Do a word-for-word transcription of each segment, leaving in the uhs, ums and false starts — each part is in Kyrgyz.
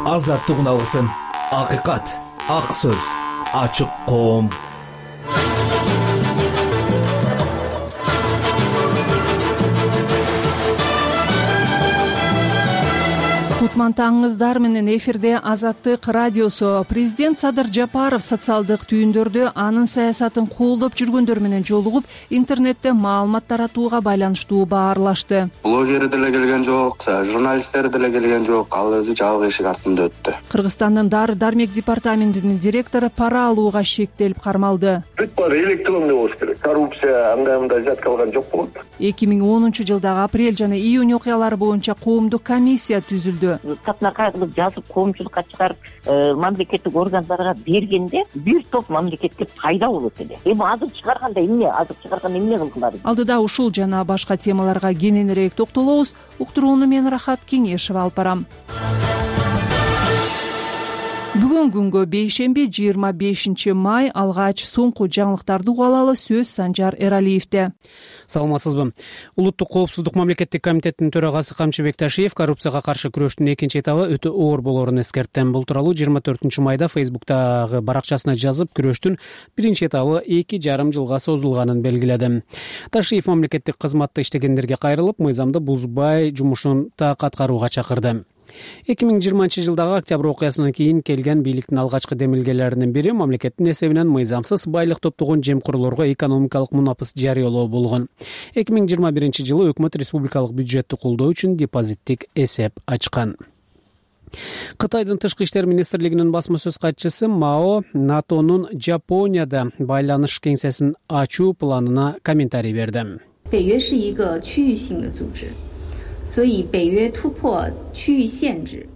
азаттыгын алгысың. Акыйкат, ак сөз, ачык коом. Кутман таңыңыздар менен эфирде Азаттык радиосу. Президент Садыр Жапаров социалдык түйүндөрдө анын саясатын колдоп жүргөндөр менен жолугуп, интернетте маалымат таратууга байланыштуу баарлашты. Блогери деле келген жок, журналисттер деле келген жок. Ал өзү жабык эшик артында өттү. Кыргызстандын Дары-дармек департаментинин директору пара алууга шектелип кармалды. Бүт баары электронный болуш керек. Коррупция андай мындай зат калган жок болот. эки миң онунчу жылдагы апрель жана июнь окуялары боюнча коомдук комиссия түзүлдү. Катына кайгылып жазып коомчулукка чыгарып мамлекеттик органдарга бергенде бир топ мамлекетке пайда болот эле. Эми азыр чыгарганда эмне, азыр чыгарганда эмне кылгылары? Алдыда ушул жана башка темаларга кененирээк токтолобуз. Уктурууну мен Рахат Кеңешева алып барам. Бүгүн күнгө бейшемби жыйырма бешинчи май алгач соңку жаңылыктарды угуп алалы. Сөз Санжар Эралиевде. Саламатсызбы? Улуттук коопсуздук мамлекеттик комитетинин төрагасы Камчыбек Ташиев коррупцияга каршы күрөштүн экинчи этабы өтө оор болоорун эскертти. Бул тууралуу жыйырма төртүнчү майда Фейсбуктагы баракчасына жазып, күрөштүн биринчи этабы эки жарым жылга созулганын белгиледи. Ташиев мамлекеттик кызматта иштегендерге кайрылып, мыйзамды бузбай жумушун так аткарууга чакырды. эки миң жыйырманчы жылдагы октябрь окуясынан кийин келген бийликтин алгачкы демилгелеринин бири мамлекеттин эсебинен мыйзамсыз байлык топтогон жемкурлорго экономикалык мунапыс жарыялоо болгон. эки миң жыйырма биринчи жылы өкмөт республикалык бюджетти колдоо үчүн депозиттик эсеп ачкан. Кытайдын тышкы иштер министрлигинин басма сөз катчысы Мао НАТОнун Жапонияда байланыш кеңсесин ачуу планына комментарий берди. 北约是一个区域性的组织，所以北约突破区域限制。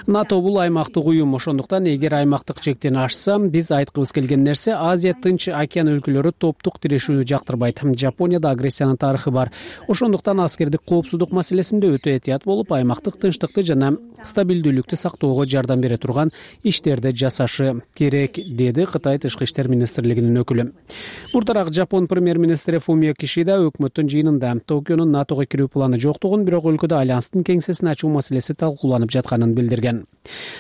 НАТО бул аймактык уюм, ошондуктан эгер аймактык чектен ашса, биз айткыбыз келген нерсе Азия Тынч океан өлкөлөрү топтук тирешүүнү жактырбайт. Жапонияда агрессиянын тарыхы бар. Ошондуктан аскердик коопсуздук маселесинде өтө этият болуп, аймактык тынчтыкты жана стабилдүүлүктү сактоого жардам бере турган иштерди жасашы керек, деди Кытай тышкы иштер министрлигинин өкүлү. Мурдараак Жапон премьер-министри Фумио Кишида өкмөттүн жыйынында Токионун НАТОго кирүү планы жоктугун, бирок өлкөдө альянстын кеңсесин ачуу маселеси талкууланып жатканын билдирген.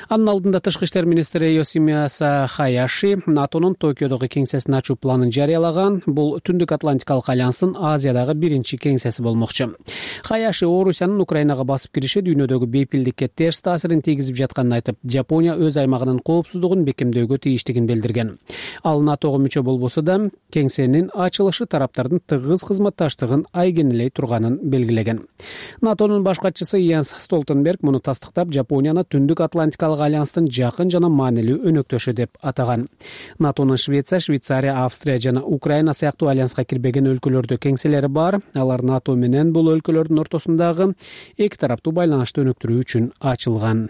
Анын алдында тышкы иштер министри Йосимаса Хаяши НАТОнун Токиодогу кеңсесин ачуу планын жарыялаган. Бул Түндүк Атлантикалык альянстын Азиядагы биринчи кеңсеси болмокчу. Хаяши Орусиянын Украинага басып кириши дүйнөдөгү бейпилдикке терс таасирин тийгизип жатканын айтып, Жапония өз аймагынын коопсуздугун бекемдөөгө тийиштигин билдирген. Ал НАТОго мүчө болбосо да, кеңсенин ачылышы тараптардын тыгыз кызматташтыгын айгинелей турганын белгилеген. НАТОнун баш катчысы Йенс Столтенберг муну тастыктап, Жапонияны Түндүк Атлантикалык альянстын жакын жана маанилүү өнөктөшү деп атаган. НАТОнун Швеция, Швейцария, Австрия жана Украина сыяктуу альянска кирбеген өлкөлөрдө кеңселери бар. Алар НАТО менен бул өлкөлөрдүн ортосундагы эки тараптуу байланышты өнүктүрүү үчүн ачылган.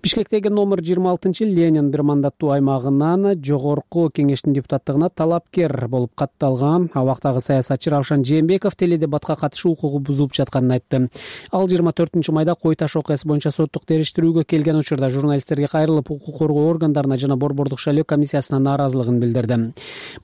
Бишкектеги номер жыйырма алтынчы Ленин бир мандаттуу аймагынан жогорку кеңештин депутаттыгына талапкер болуп катталган абактагы саясатчы Равшан Жээнбеков теледебатка катышуу укугу бузулуп жатканын айтты. Ал жыйырма төртүнчү майда Кой Таш окуясы боюнча соттук териштирүүгө келген учурда журналисттерге кайрылып, укук коргоо органдарына жана Борбордук шайлоо комиссиясына нааразылыгын билдирди.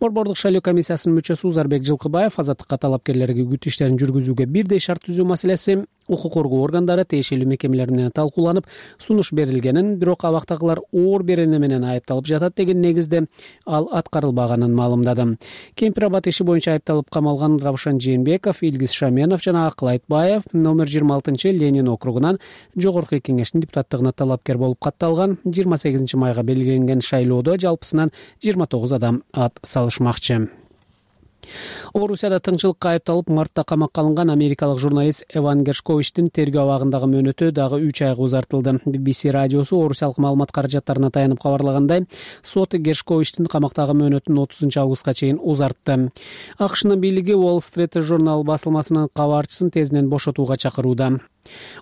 Борбордук шайлоо комиссиясынын мүчөсү Узарбек Жылкыбаев азаттыкка талапкерлерге күт иштерин жүргүзүүгө бирдей шарт түзүү маселеси укук коргоо органдары тиешелүү мекемелер менен талкууланып, сунуш берилгенин, бирок абактагылар оор берене менен айыпталып жатат деген негизде ал аткарылбаганын маалымдады. Кемпир-Абад иши боюнча айыпталып камалган Равшан Жээнбеков, Илгиз Шаменов жана Акыл Айтбаев номер жыйырма алтынчы Ленин округунан жогорку кеңештин депутаттыгына талапкер болуп катталган. жыйырма сегизинчи майга белгиленген шайлоодо жалпысынан жыйырма тогуз адам ат салышмакчы. Орусияда тыңчылыкка айыпталып мартта камакка алынган америкалык журналист Эван Гершковичтин тергөө абагындагы мөөнөтү дагы үч айга узартылды. би би си радиосу орусиялык маалымат каражаттарына таянып кабарлагандай, сот Гершковичтин камактагы мөөнөтүн отузунчу августка чейин узартты. АКШнын бийлиги Wall Street Journal басылмасынын кабарчысын тезинен бошотууга чакырууда.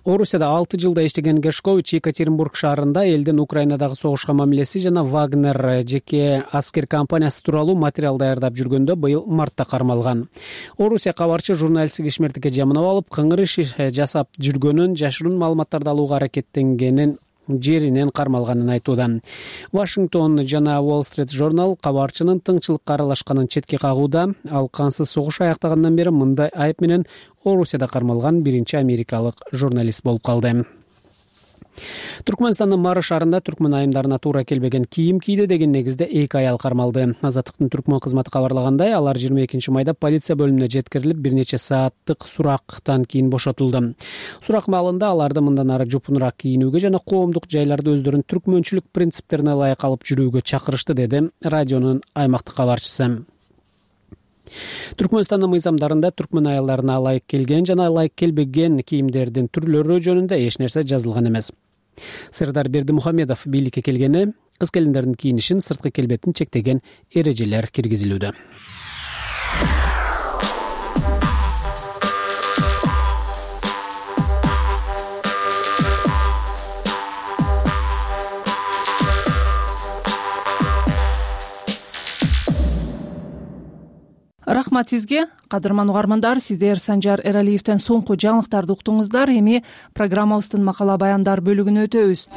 Орусияда алты жылда иштеген Гершкович Екатеринбург шаарында элдин Украинадагы согушка мамилеси жана Вагнер жеке аскер компаниясы тууралуу материал даярдап жүргөндө быйыл мартта кармалган. Орусия кабарчы журналистик ишмердикке жаманап алып, кыңыр иш жасап жүргөнүн, жашыруун маалыматтарды алууга аракеттенгенин жеринен кармалганын айтууда. Вашингтон жана Wall Street Journal кабарчынын тыңчылыкка аралашканын четке кагууда. Ал кансыз согуш аяктагандан бери мындай айып менен Орусияда кармалган биринчи америкалык журналист болуп калды. Түркмөнстандын Мары шаарында түркмөн айымдарына туура келбеген кийим кийди деген негизде эки аял кармалды. Азаттыктын түркмөн кызматы кабарлагандай, алар жыйырма экинчи майда полиция бөлүмүнө жеткирилип, бир нече сааттык сурактан кийин бошотулду. Сурак маалында аларды мындан ары жупунураак кийинүүгө жана коомдук жайларда өздөрүнүн түркмөнчүлүк принциптерине ылайык алып жүрүүгө чакырышты, деди радионун аймактык кабарчысы. Түркмөнстандын мыйзамдарында түркмөн аялдарына ылайык келген жана ылайык келбеген кийимдердин түрлөрү жөнүндө эч нерсе жазылган эмес. Сырдар Бердимухамедов бийликке келгени кыз келиндердин кийинишин, сырткы келбетин чектеген эрежелер киргизилүүдө. Рахмат сизге, кадырман угармандар. Сиздер Санжар Эралиевден соңку жаңылыктарды уктуңуздар. Эми программабыздын макала баяндар бөлүгүнө өтөбүз.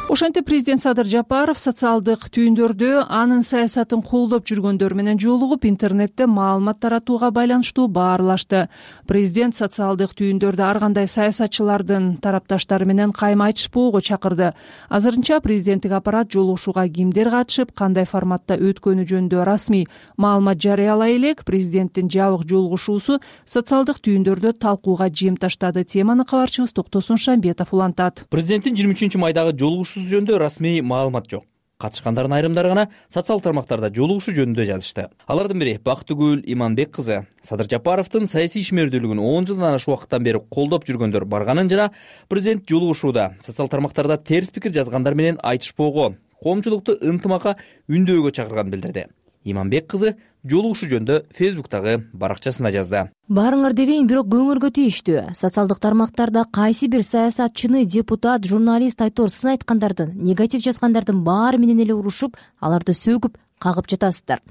Ошентип президент Садыр Жапаров социалдык түйүндөрдө анын саясатын колдоп жүргөндөр менен жолугуп, интернетте маалымат таратууга байланыштуу баарлашты. Президент социалдык түйүндөрдө ар кандай саясатчылардын тарапташтары менен кайма айтышпоого чакырды. Азырынча президенттик аппарат жолугушууга кимдер катышып, кандай форматта өткөнү жөнүндө расмий маалымат жарыялай элек. Президенттин жабык жолугушуусу социалдык түйүндөрдө талкууга жем таштады. Теманы кабарчыбыз Токтосун Шамбетов улантат. Президенттин жыйырма үчүнчү майдагы жолугушуу жөнүндө расмий маалымат жок. Катышкандардын айрымдары гана социалдык тармактарда жолугушуу жөнүндө жазышты. Алардын бири Бактыгүл Иманбек кызы. Садыр Жапаровдун саясий ишмердүүлүгүн он жылдан ашык убакыттан бери колдоп жүргөндөр барганын жана президент жолугушууда социалдык тармактарда терс пикир жазгандар менен айтышпоого, коомчулукту ынтымакка үндөөгө чакырганын билдирди. Иманбек кызы жолугушуу жөнүндө Фейсбуктагы баракчасында жазды. Баарыңар дебейин, бирок көңүлгө тийиштүү. Социалдык тармактарда кайсы бир саясатчыны, депутат, журналист, айтор сын айткандардын, негатив жазгандардын баары менен эле урушуп, аларды сөгүп, кагып жатасыздар.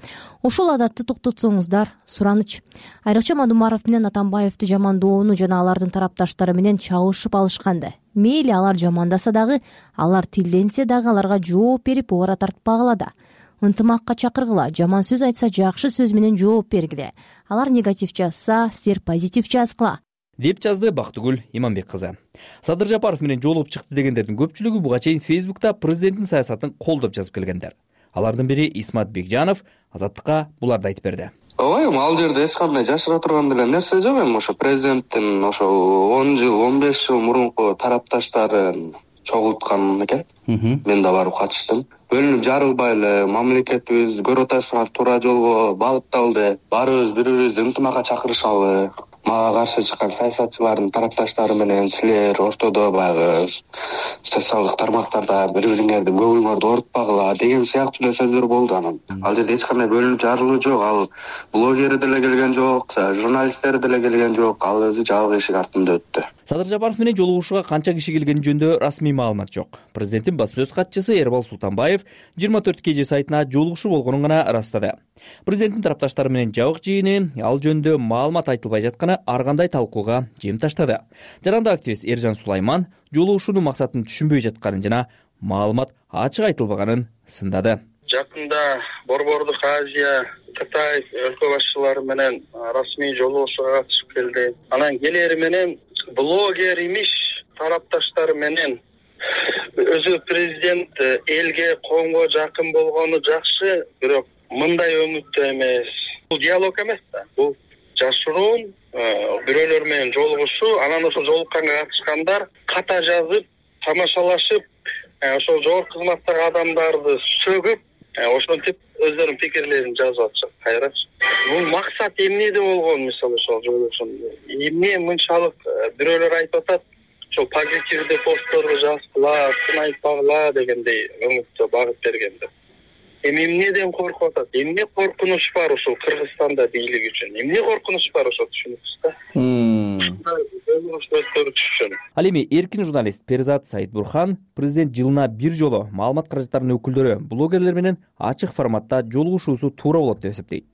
Ошол адатты токтотсоңуздар, сураныч. Айрыкча Мадумаров менен Атамбаевди жамандоону жана алардын тарапташтары менен чабышып алышканды. Мейли алар жамандаса дагы, алар тилденсе дагы аларга жооп берип, оор тартпагыла да. Ынтымакка чакыргыла, жаман сөз айтса жакшы сөз менен жооп бергиле. Алар негатив жазса, силер позитив жазгыла, деп жазды Бактыгүл Иманбек кызы. Садыр Жапаров менен жолугуп чыкты дегендердин көпчүлүгү буга чейин Фейсбукта президенттин саясатын колдоп жазып келгендер. Алардын бири Исмат Бекжанов Азаттыкка буларды айтып берди. Ой, ал жерде эч кандай жашыра турган деле нерсе жок эми. Ошо президенттин ошо он жыл, он беш жыл мурунку тарапташтарын чогулткан экен. Мен да барып катыштым. Бөлүнүп жарылбай эле мамлекетибиз көрүп атасыңар туура жолго багытталды. Баарыбыз бири-бирибизди ынтымакка чакырышалы. Мага каршы чыккан саясатчылардын тарапташтары менен силер ортодо баягы социалдык тармактарда бири-бириңерди көңүлүңөрдү оорутпагыла деген сыяктуу сөздөр болду. Анан ал жерде эч кандай бөлүнүп жарылуу жок. Ал блогер деле келген жок, журналисттер деле келген жок. Ал өзү жабык эшик артында өттү. Садыр Жапаров менен жолугушууга канча киши келгени жөнүндө расмий маалымат жок. Президенттин басма сөз катчысы Эрбал Султанбаев жыйырма төрт кж сайтына жолугушуу болгонун гана ырастады. Президенттин тарапташтары менен жабык жыйыны, ал жөнүндө маалымат айтылбай жатканы ар кандай талкууга жем таштады. Жарандык активист Эржан Сулайман жолугушуунун максатын түшүнбөй жатканын жана маалымат ачык айтылбаганын сындады. Жакында Борбордук Азия, Кытай өлкө башчылары менен расмий жолугушууга катышып келди. Анан келери менен блогер имиш тарапташтары менен өзү президент элге, коомго жакын болгону жакшы, бирок мындай өңүттө эмес. Бул диалог эмес да. Бул жашыруун бирөөлөр менен жолугушуу, анан ошол жолукканга катышкандар ката жазып, тамашалашып, ошол жогорку кызматтагы адамдарды сөгүп, ошентип өздөрүнүн пикирлерин жазып атышат. Кайрачы. Бул максат эмнеде болгон, мисалы ошол жолугушуу. Эмне мынчалык бирөөлөр айтып атат, ошол позитивдүү постторду жазгыла, сын айтпагыла дегендей өңүттө багып бергенде. Эми эмнеден коркуп атат? Эмне коркунуч бар ушул Кыргызстанда бийлик үчүн? Эмне коркунуч бар ошо түшүнүпсүз да? Ал эми эркин журналист Перзат Саидбурхан президент жылына бир жолу маалымат каражаттарынын өкүлдөрү блогерлер менен ачык форматта жолугушуусу туура болот деп эсептейт.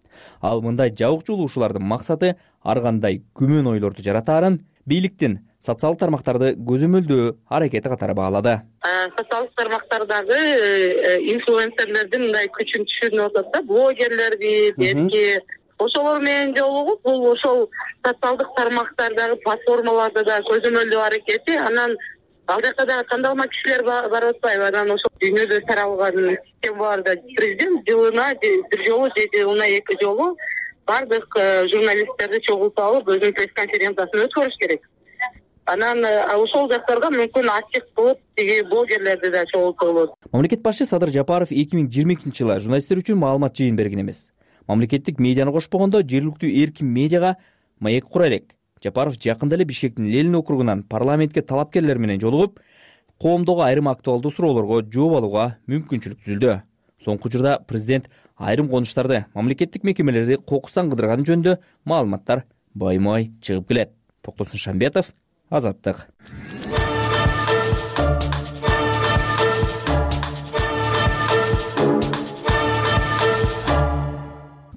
Ал мындай жабык жолугушуулардын максаты ар кандай күмөн ойлорду жаратаарын бийликтин социалдык тармактарды көзөмөлдөө аракети катары баалады. Социалдык тармактардагы инфлюенсерлердин мындай күчүн түшүнүп атат да, блогерлерди, белки ошолор менен жолугуп бул ошол социалдык тармактардагы платформаларда да көзөмөлдөө аракети, анан ал жака дагы тандалма кишилер барып атпайбы, анан ошол дүйнөдө таралган системаларда президент жылына бир жолу же жылына эки жолу бардык журналисттерди чогултуп алып өзүнүн пресс-конференциясын өткөрүш керек. Анан ошол жактарга мүмкүн ачык кылып тиги блогерлерди да чогултуп болот. Мамлекет башчы Садыр Жапаров эки миң жыйырма экинчи жылы журналисттер үчүн маалымат жыйын берген эмес. Мамлекеттик медианы кошпогондо жергиликтүү эркин медиага маек кура элек. Жапаров жакында эле Бишкектин Ленин округунан парламентке талапкерлер менен жолугуп, коомдогу айрым актуалдуу суроолорго жооп алууга мүмкүнчүлүк түзүлдү. Соңку учурда президент айрым конуштарды, мамлекеттик мекемелерди кокустан кыдырганы жөнүндө маалыматтар баймай чыгып келет. Токтосун Шамбетов, Азаттык.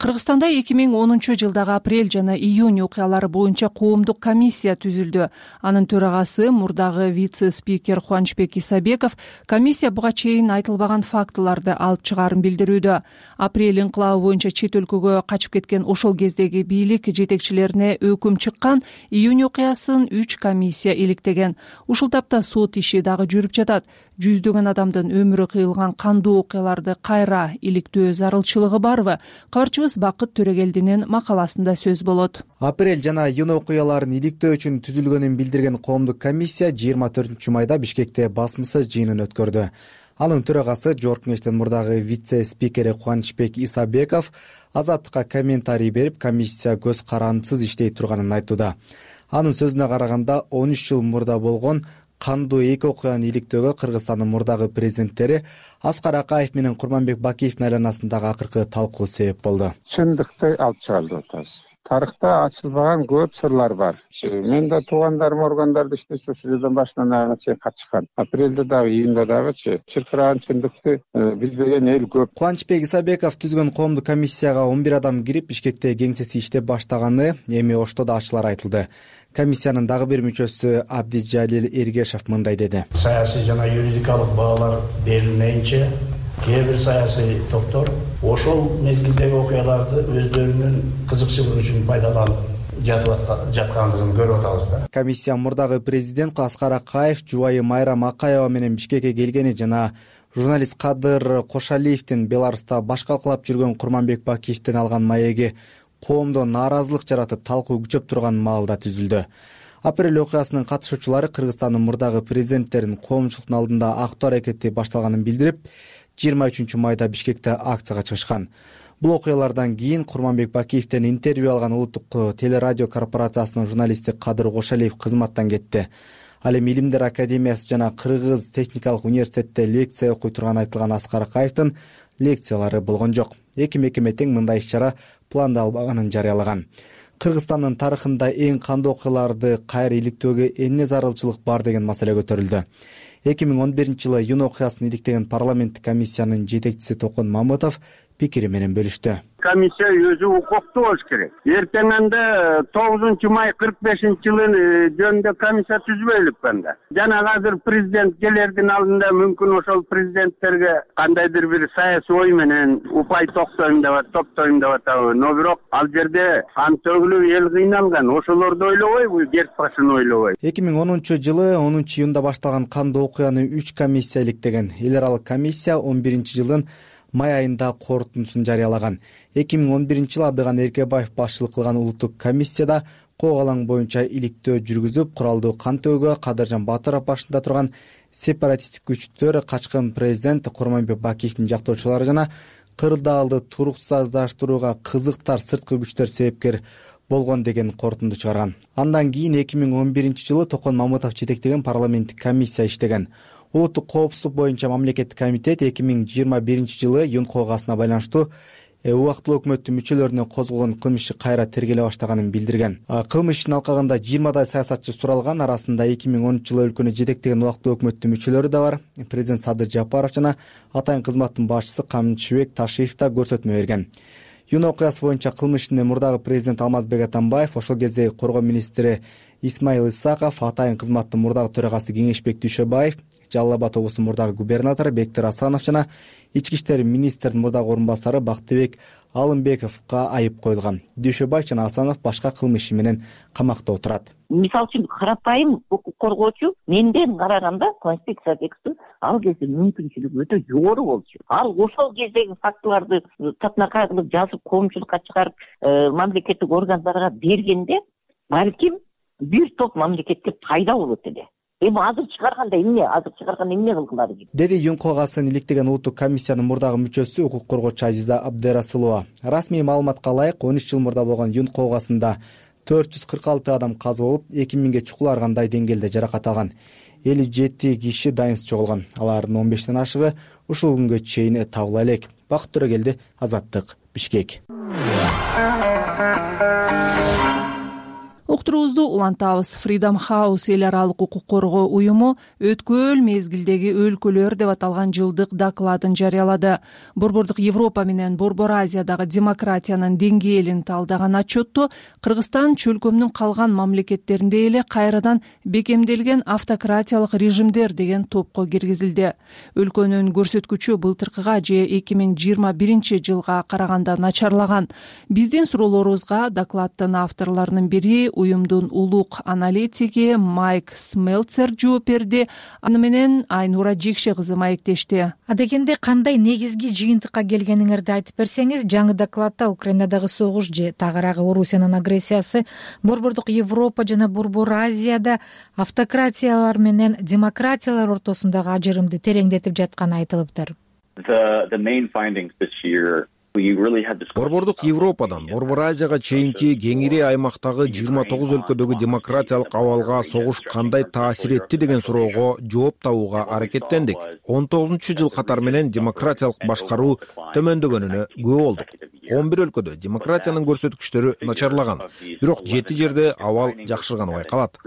Кыргызстанда эки миң онунчу жылдагы апрель жана июнь окуялары боюнча коомдук комиссия түзүлдү. Анын төрагасы мурдагы вице-спикер Кубанычбек Исабеков комиссия буга чейин айтылбаган фактыларды алып чыгаарын билдирүүдө. Апрель инкылабы боюнча чет өлкөгө качып кеткен ошол кездеги бийлик жетекчилерине өкүм чыккан, июнь окуясын үч комиссия иликтеген. Ушул тапта сот иши дагы жүрүп жатат. Жүздөгөн адамдын өмүрү кыйылган кандуу окуяларды кайра иликтөө зарылчылыгы барбы? Кабарчыбыз Бакыт Төрөгелдинин макаласында сөз болот. Апрель жана июнь окуяларын иликтөө үчүн түзүлгөнүн билдирген коомдук комиссия жыйырма төртүнчү майда Бишкекте басмасыз жыйынын өткөрдү. Анын төрагасы Жогорку Кеңештин мурдагы вице-спикери Кубанычбек Исабеков Азаттыкка комментарий берип, комиссия көз карандысыз иштей турганын айтууда. Анын сөзүнө караганда, он үч жыл мурда болгон кандуу эки окуяны иликтөөгө Кыргызстандын мурдагы президенттери Аскар Акаев менен Курманбек Бакиевдин айланасындагы акыркы талкуу себеп болду. Чындыкты алып чыгарды атабыз. Тарыхта ачылбаган көп сырлар бар. Мен да туугандарым органдарда иштеши ошол жерден башынан аягына чейин катышкан. Апрелде дагы, июнда дагычы чыркыраган чындыкты билбеген эл көп. Кубанычбек Исабеков түзгөн коомдук комиссияга он бир адам кирип, Бишкекте кеңсеси иштеп баштаганы эми Ошто да ачылар айтылды. Комиссиянын дагы бир мүчөсү Абдижалил Эргешев мындай деди. Саясий жана юридикалык баалар берилмейинче кээ бир саясий топтор ошол мезгилдеги окуяларды өздөрүнүн кызыкчылыгы үчүн пайдаланып жаткандыгын көрүп атабыз да. Комиссия мурдагы президент Аскар Акаев жубайы Майрам Акаева менен Бишкекке келгени жана журналист Кадыр Кошалиевдин Беларуста баш калкалап жүргөн Курманбек Бакиевден алган маеги коомдо нааразылык жаратып талкуу күчөп турган маалда түзүлдү. Апрель окуясынын катышуучулары Кыргызстандын мурдагы президенттерин коомчулуктун алдында актоо аракети башталганын билдирип, жыйырма үчүнчү майда Бишкекте акцияга чыгышкан. Бул окуялардан кийин Курманбек Бакиевден интервью алган Улуттук телерадио корпорациясынын журналисти Кадыр Кошалиев кызматтан кетти. Ал эми Илимдер академиясы жана Кыргыз техникалык университетте лекция окуй турганы айтылган Аскар Акаевдин лекциялары болгон жок. Эки мекеме тең мындай иш-чара пландалбаганын жарыялаган. Кыргызстандын тарыхында эң кандуу окуяларды кайра иликтөөгө эмне зарылчылык бар деген маселе көтөрүлдү. эки миң он биринчи жылы июнь окуясын иликтеген парламенттик комиссиянын жетекчиси Токон Мамытов пикири менен бөлүштү. Комиссия өзү укуктуу болуш керек. Эртеңинде тогузунчу май кырк бешинчи жылы жөнүндө комиссия түзбөйлүк анда. Жана азыр президент келердин алдында мүмкүн ошол президенттерге кандайдыр бир саясий ой менен упай токтойм деп атат, топтойм деп атабы. Но бирок ал жерде ан төгүлүп эл кыйналган. Ошолорду ойлобойбу, герс башын ойлобой. эки миң онунчу жылы онунчу июнда башталган кандуу окуяны үч комиссия иликтеген. Эл аралык комиссия он биринчи жылдын май айында корутундусун жарыялаган. эки миң он биринчи жылы Абдыган Эркебаев башчылык кылган улуттук комиссияда кок алаң боюнча иликтөө жүргүзүп, куралдуу кан төөгө Кадыржан Батыров башында турган сепаратисттик күчтөр качкын президент Курманбек Бакиевдин жактоочулары жана кырдаалды туруксуздаштырууга кызыктар сырткы күчтөр себепкер болгон деген корутунду чыгарган. Андан кийин эки миң он биринчи жылы Токон Мамытов жетектеген парламенттик комиссия иштеген. Улуттук коопсуздук боюнча мамлекеттик комитет эки миң жыйырма биринчи жылы июнь окуясына байланыштуу убактылуу өкмөттүн мүчөлөрүнө козголгон кылмыш иши кайра тергеле баштаганын билдирген. Кылмыш ишин алкагында жыйырмадай саясатчы суралган, арасында эки миң онунчу жылы өлкөнү жетектеген убактылуу өкмөттүн мүчөлөрү да бар. Президент Садыр Жапаров жана атайын кызматтын башчысы Камчыбек Ташиев да көрсөтмө берген. Июнь окуясы боюнча кылмыш ишинде мурдагы президент Алмазбек Атамбаев, ошол кезде коргоо министри Исмаил Исаков, атайын кызматтын мурдагы төрагасы Кеңешбек Дүйшөбаев, Жалал Абад облусунун мурдагы губернатору Бектир Асанов жана ички иштер министринин мурдагы орун басары Бактыбек Алымбековго айып коюлган. Дүйшөбаев жана Асанов башка кылмыш иши менен камакта отурат. Мисалы үчүн карапайым укук коргоочу менден караганда конституция текстин ал кезде мүмкүнчүлүгү өтө жогору болчу. Ал ошол кездеги фактыларды татынакай кылып жазып коомчулукка чыгарып мамлекеттик органдарга бергенде балким бир топ мамлекетке пайда болот эле. Эми азыр чыгарганда эмне, азыр чыгарганда эмне кылгылары дейт? Деди ЮНКО-гасын иликтеген улуттук комиссиянын мурдагы мүчөсү укук коргоочу Азиза Абдырасулова. Расмий маалыматка ылайык он үч жыл мурда болгон ЮНКО-гасында төрт жүз кырк алты адам каза болуп, эки миңге чукуларгандай деңгээлде жаракат алган. элүү жети киши дайынсыз жоголгон. Алардын он бештен ашыгы ушул күнгө чейин табыла элек. Бакыт Төрөгелди, Азаттык, Бишкек. Уктуруубузду улантабыз. Freedom House эл аралык укук коргоо уюму өткөл мезгилдеги өлкөлөр деп аталган жылдык докладын жарыялады. Борбордук Европа менен Борбор Азиядагы демократиянын деңгээлин талдаган отчетто Кыргызстан чөлкөмдүн калган мамлекеттеринде эле кайрадан бекемделген автократиялык режимдер деген топко киргизилди. Өлкөнүн көрсөткүчү былтыркыга же эки миң жыйырма биринчи жылга караганда начарлаган. Биздин суроолорубузга докладдын авторлорунун бири уюмдун улук аналитиги Майк Смелцер жооп берди. Аны менен Айнура Жекше кызы маектешти. Адегенде кандай негизги жыйынтыкка келгениңерди айтып берсеңиз, жаңы докладда Украинадагы согуш же тагыраагы Орусиянын агрессиясы, Борбордук Европа жана Борбор Азияда автократиялар менен демократиялар ортосундагы ажырымды тереңдетип жатканы айтылыптыр. Борбордук Европадан Борбор Азияга чейинки кеңири аймактагы жыйырма тогуз өлкөдөгү демократиялык абалга согуш кандай таасир этти деген суроого жооп табууга аракеттендик. он тогузунчу жыл катар менен демократиялык башкаруу төмөндөгөнүнө күбө болдук. он бир өлкөдө демократиянын көрсөткүчтөрү начарлаган, бирок жети жерде абал жакшырганы байкалат.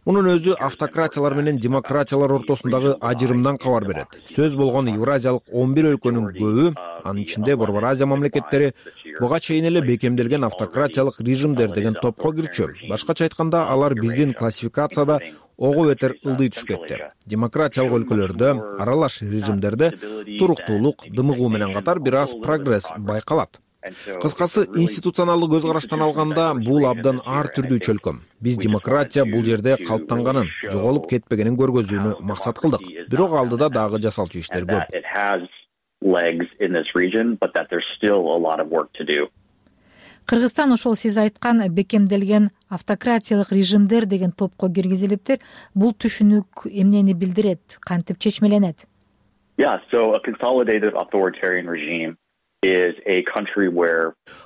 Мунун өзү автократиялар менен демократиялар ортосундагы ажырымдан кабар берет. Сөз болгон Евразиялык он бир өлкөнүн көбү, анын ичинде Борбор Азия мамлекеттери, буга чейин эле бекемделген автократиялык режимдер деген топко кирчү. Башкача айтканда, алар биздин классификацияда ого бетер ылдый түшкөттөр. Демократиялык өлкөлөрдө, аралаш режимдерде туруктуулук, дымыгуу менен катар бир аз прогресс байкалат. Кыскасы, институционалдык көз караштан алганда бул абдан ар түрдүү чөлкөм. Биз демократия бул жерде калыптанганын, жоголуп кетпегенин көргөзүүнү максат кылдык. Бирок алдыда дагы жасалчу иштер көп. Кыргызстан ошол сиз айткан бекемделген автократиялык режимдер деген топко киргизилиптир. Бул түшүнүк эмнени билдирет, кантип чечмеленет?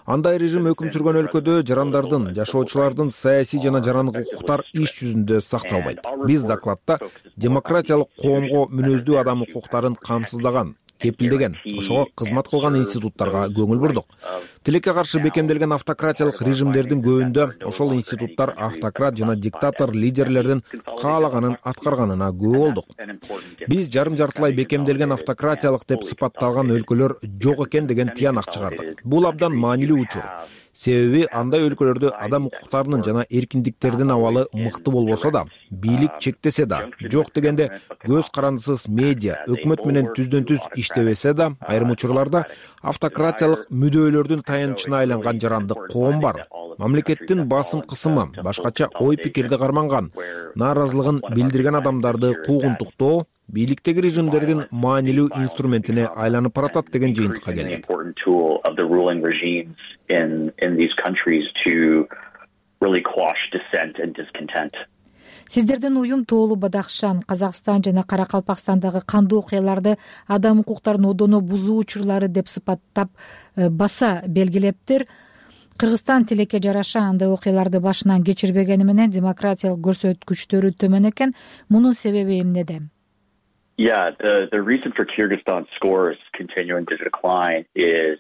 Андай режим өкүм сүргөн өлкөдө жарандардын, жашоочулардын саясий жана жарандык укуктар иш жүзүндө сакталбайт. Биз докладда демократиялык коомго мүнөздүү адам укуктарын камсыздаган, кепилдеген, ошого кызмат кылган институттарга көңүл бурдук. Тилекке каршы бекемделген автократиялык режимдердин көбүндө ошол институттар автократ жана диктатор лидерлердин каалаганын аткарганына күбө болдук. Биз жарым жартылай бекемделген автократиялык деп сыпатталган өлкөлөр жок экен деген тыянак чыгардык. Бул абдан маанилүү учур. Себеби андай өлкөлөрдө адам укуктарынын жана эркиндиктердин абалы мыкты болбосо да, бийлик чектесе да, жок дегенде көз карандысыз медиа, өкмөт менен түздөн түз иштебесе да, айрым учурларда автократиялык мүдөөлөрдүн таянычына айланган жарандык коом бар. Мамлекеттин басым кысымы, башкача ой пикирди карманган, нааразылыгын билдирген адамдарды куугунтуктоо бийликтеги режимдердин маанилүү инструментине айланып баратат деген жыйынтыкка келдик. Сиздердин уюм Тоолу Бадахшан, Казакстан жана Каракалпакстандагы кандуу окуяларды адам укуктарын одоно бузуу учурлары деп сыпаттап баса белгилептир. Кыргызстан тилекке жараша андай окуяларды башынан кечирбегени менен демократиялык көрсөткүчтөрү төмөн экен. Мунун себеби эмнеде? Yeah, the the reason for Kyrgyzstan's scores continuing to decline is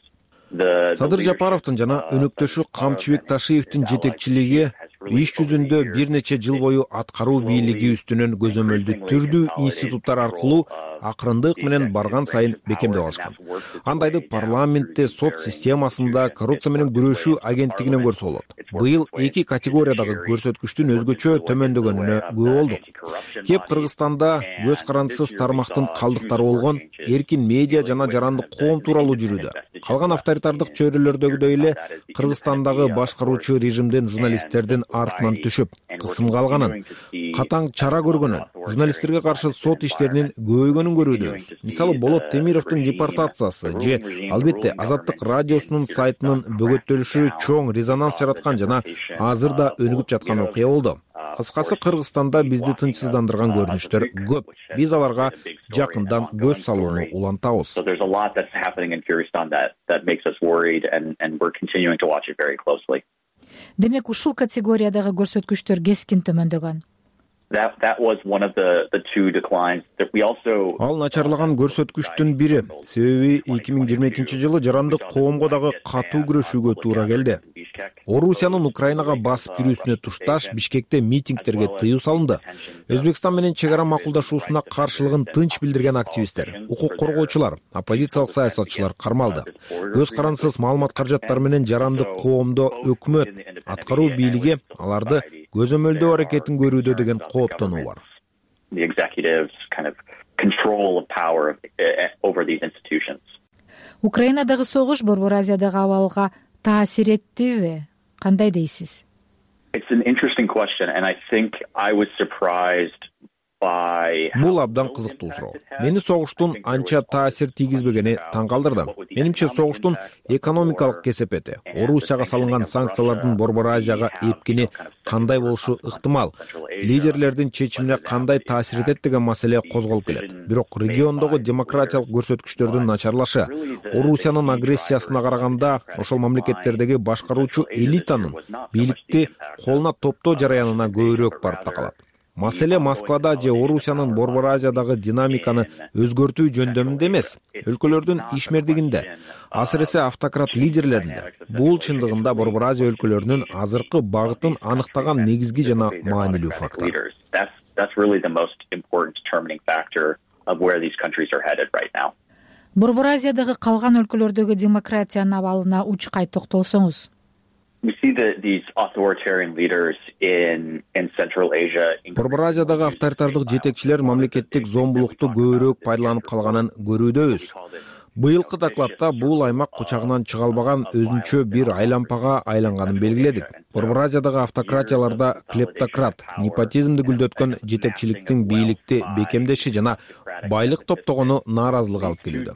the Садыр Жапаровдун жана өнөктөшү Камчыбек Ташиевдин жетекчилиги иш жүзүндө бир нече жыл бою аткаруу бийлиги үстүнөн көзөмөлдү түрдүү институттар аркылуу акырындык менен барган сайын бекемдеп алышкан. Андайды парламентте, сот системасында, коррупция менен күрөшүү агенттигинен көрсө болот. Быйыл эки категориядагы көрсөткүчтүн өзгөчө төмөндөгөнүнө күбө болдук. Кеп Кыргызстанда көз карандысыз тармактын калдыктары болгон эркин медиа жана жарандык коом тууралуу жүрүүдө. Калган авторитардык чөйрөлөрдөгүдөй эле Кыргызстандагы башкаруучу режимдин журналисттердин артынан түшүп, кысымга алганын, катаң чара көргөнүн, журналисттерге каршы сот иштеринин көбөйгөнүн көрүүбүз. Мисалы Болот Темировдун депортациясы же албетте Азаттык радиосунун сайтынын бөгөттөлүшү чоң резонанс жараткан жана азыр да өнүгүп жаткан окуя болду. Кыскасы, Кыргызстанда бизди тынчсыздандырган көрүнүштөр көп. Биз аларга жакындан көз салууну улантабыз. Демек, ушул категориядагы көрсөткүчтөр кескин төмөндөгөн. Ал начарлаган көрсөткүчтүн бири. Себеби эки миң жыйырма экинчи жылы жарандык коомго дагы катуу күрөшүүгө туура келди. Орусиянын Украинага басып кирүүсүнө тушташ Бишкекте митингдерге тыюу салынды. Өзбекстан менен чек ара макулдашуусуна каршылыгын тынч билдирген активисттер, укук коргоочулар, оппозициялык саясатчылар кармалды. Көз карандысыз маалымат каражаттары менен жарандык коомдо өкмөт, аткаруу бийлиги аларды көзөмөлдөө аракетин көрүүдө деген кооптонуу бар. Украинадагы согуш Борбор Азиядагы абалга таасир эттиби? Кандай дейсиз? Бул абдан кызыктуу суроо. Мени согуштун анча таасир тийгизбегени таң калтырды. Менимче, согуштун экономикалык кесепети, Орусияга салынган санкциялардын Борбор Азияга эпкини кандай болушу ыктымал, лидерлердин чечимине кандай таасир этет деген маселе козголуп келет. Бирок региондогу демократиялык көрсөткүчтөрдүн начарлашы, Орусиянын агрессиясына караганда ошол мамлекеттердеги башкаруучу элитанын бийликти колуна топтоо жараянына көбүрөөк барып такалат. Маселе Москвада же Орусиянын Борбор Азиядагы динамиканы өзгөртүү жөндөмүндө эмес, өлкөлөрдүн ишмердигинде, асыресе автократ лидерлеринде. Бул чындыгында Борбор Азия өлкөлөрүнүн азыркы багытын аныктаган негизги жана маанилүү фактор. Борбор Азиядагы калган өлкөлөрдөгү демократиянын абалына учкай токтолсоңуз. Борбор Азиядагы авторитардык жетекчилер мамлекеттик зомбулукту көбүрөөк пайдаланып калганын көрүүдөбүз. Быйылкы докладта бул аймак кучагынан чыга албаган өзүнчө бир айлампага айланганын белгиледик. Борбор Азиядагы автократияларда клептократ, непотизмди гүлдөткөн жетекчиликтин бийликти бекемдеши жана байлык топтогону нааразылык алып келүүдө.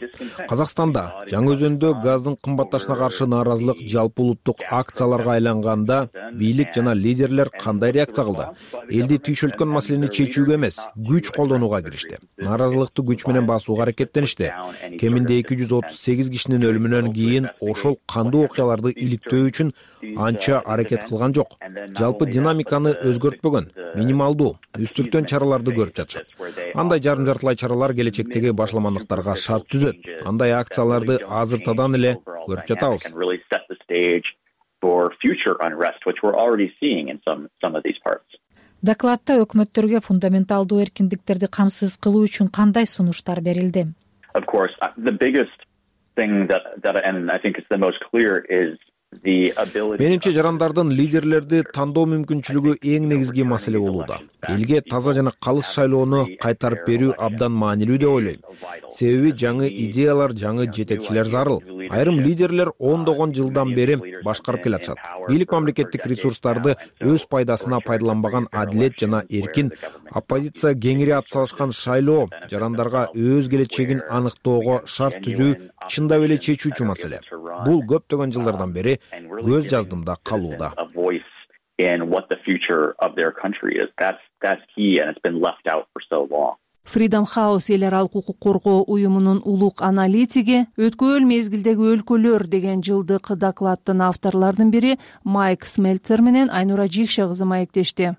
Казакстанда Жаңы Өзөндө газдын кымбатташына каршы нааразылык жалпы улуттук акцияларга айланганда бийлик жана лидерлер кандай реакция кылды? Элди түйшөлткөн маселени чечүүгө эмес, күч колдонууга киришти. Нааразылыкты күч менен басууга аракеттеништи. Кеминде эки жүз отуз сегиз кишинин өлүмүнөн кийин ошол кандуу окуяларды иликтөө үчүн анча аракет кылган жок. Жалпы динамиканы өзгөртпөгөн, минималдуу, үстүртөн чараларды көрүп жатышат. Андай жарым жартылай чаралар келечектеги башламандыктарга шарт түзөт. Андай акцияларды азыртадан эле көрүп жатабыз. Докладта өкмөттөргө фундаменталдуу эркиндиктерди камсыз кылуу үчүн кандай сунуштар берилди? Of course, the biggest thing that, that and I think it's the most clear is Менимче, жарандардын лидерлерди тандоо мүмкүнчүлүгү эң негизги маселе болууда. Элге таза жана калыс шайлоону кайтарып берүү абдан маанилүү деп ойлойм. Себеби жаңы идеялар, жаңы жетекчилер зарыл. Айрым лидерлер ондогон жылдан бери башкарып келатышат. Бийлик мамлекеттик ресурстарды өз пайдасына пайдаланбаган адилет жана эркин, оппозиция кеңири атсалышкан шайлоо жарандарга өз келечегин аныктоого шарт түзүү чындап эле чечүүчү маселе. Бул көптөгөн жылдардан бери көз жаздымда калууда. Freedom House эл аралык укук коргоо уюмунун улук аналитиги өткөн мезгилдеги өлкөлөр деген жылдык докладдын авторлордун бири Майк Смельцер менен Айнура Жикше кызы маектешти.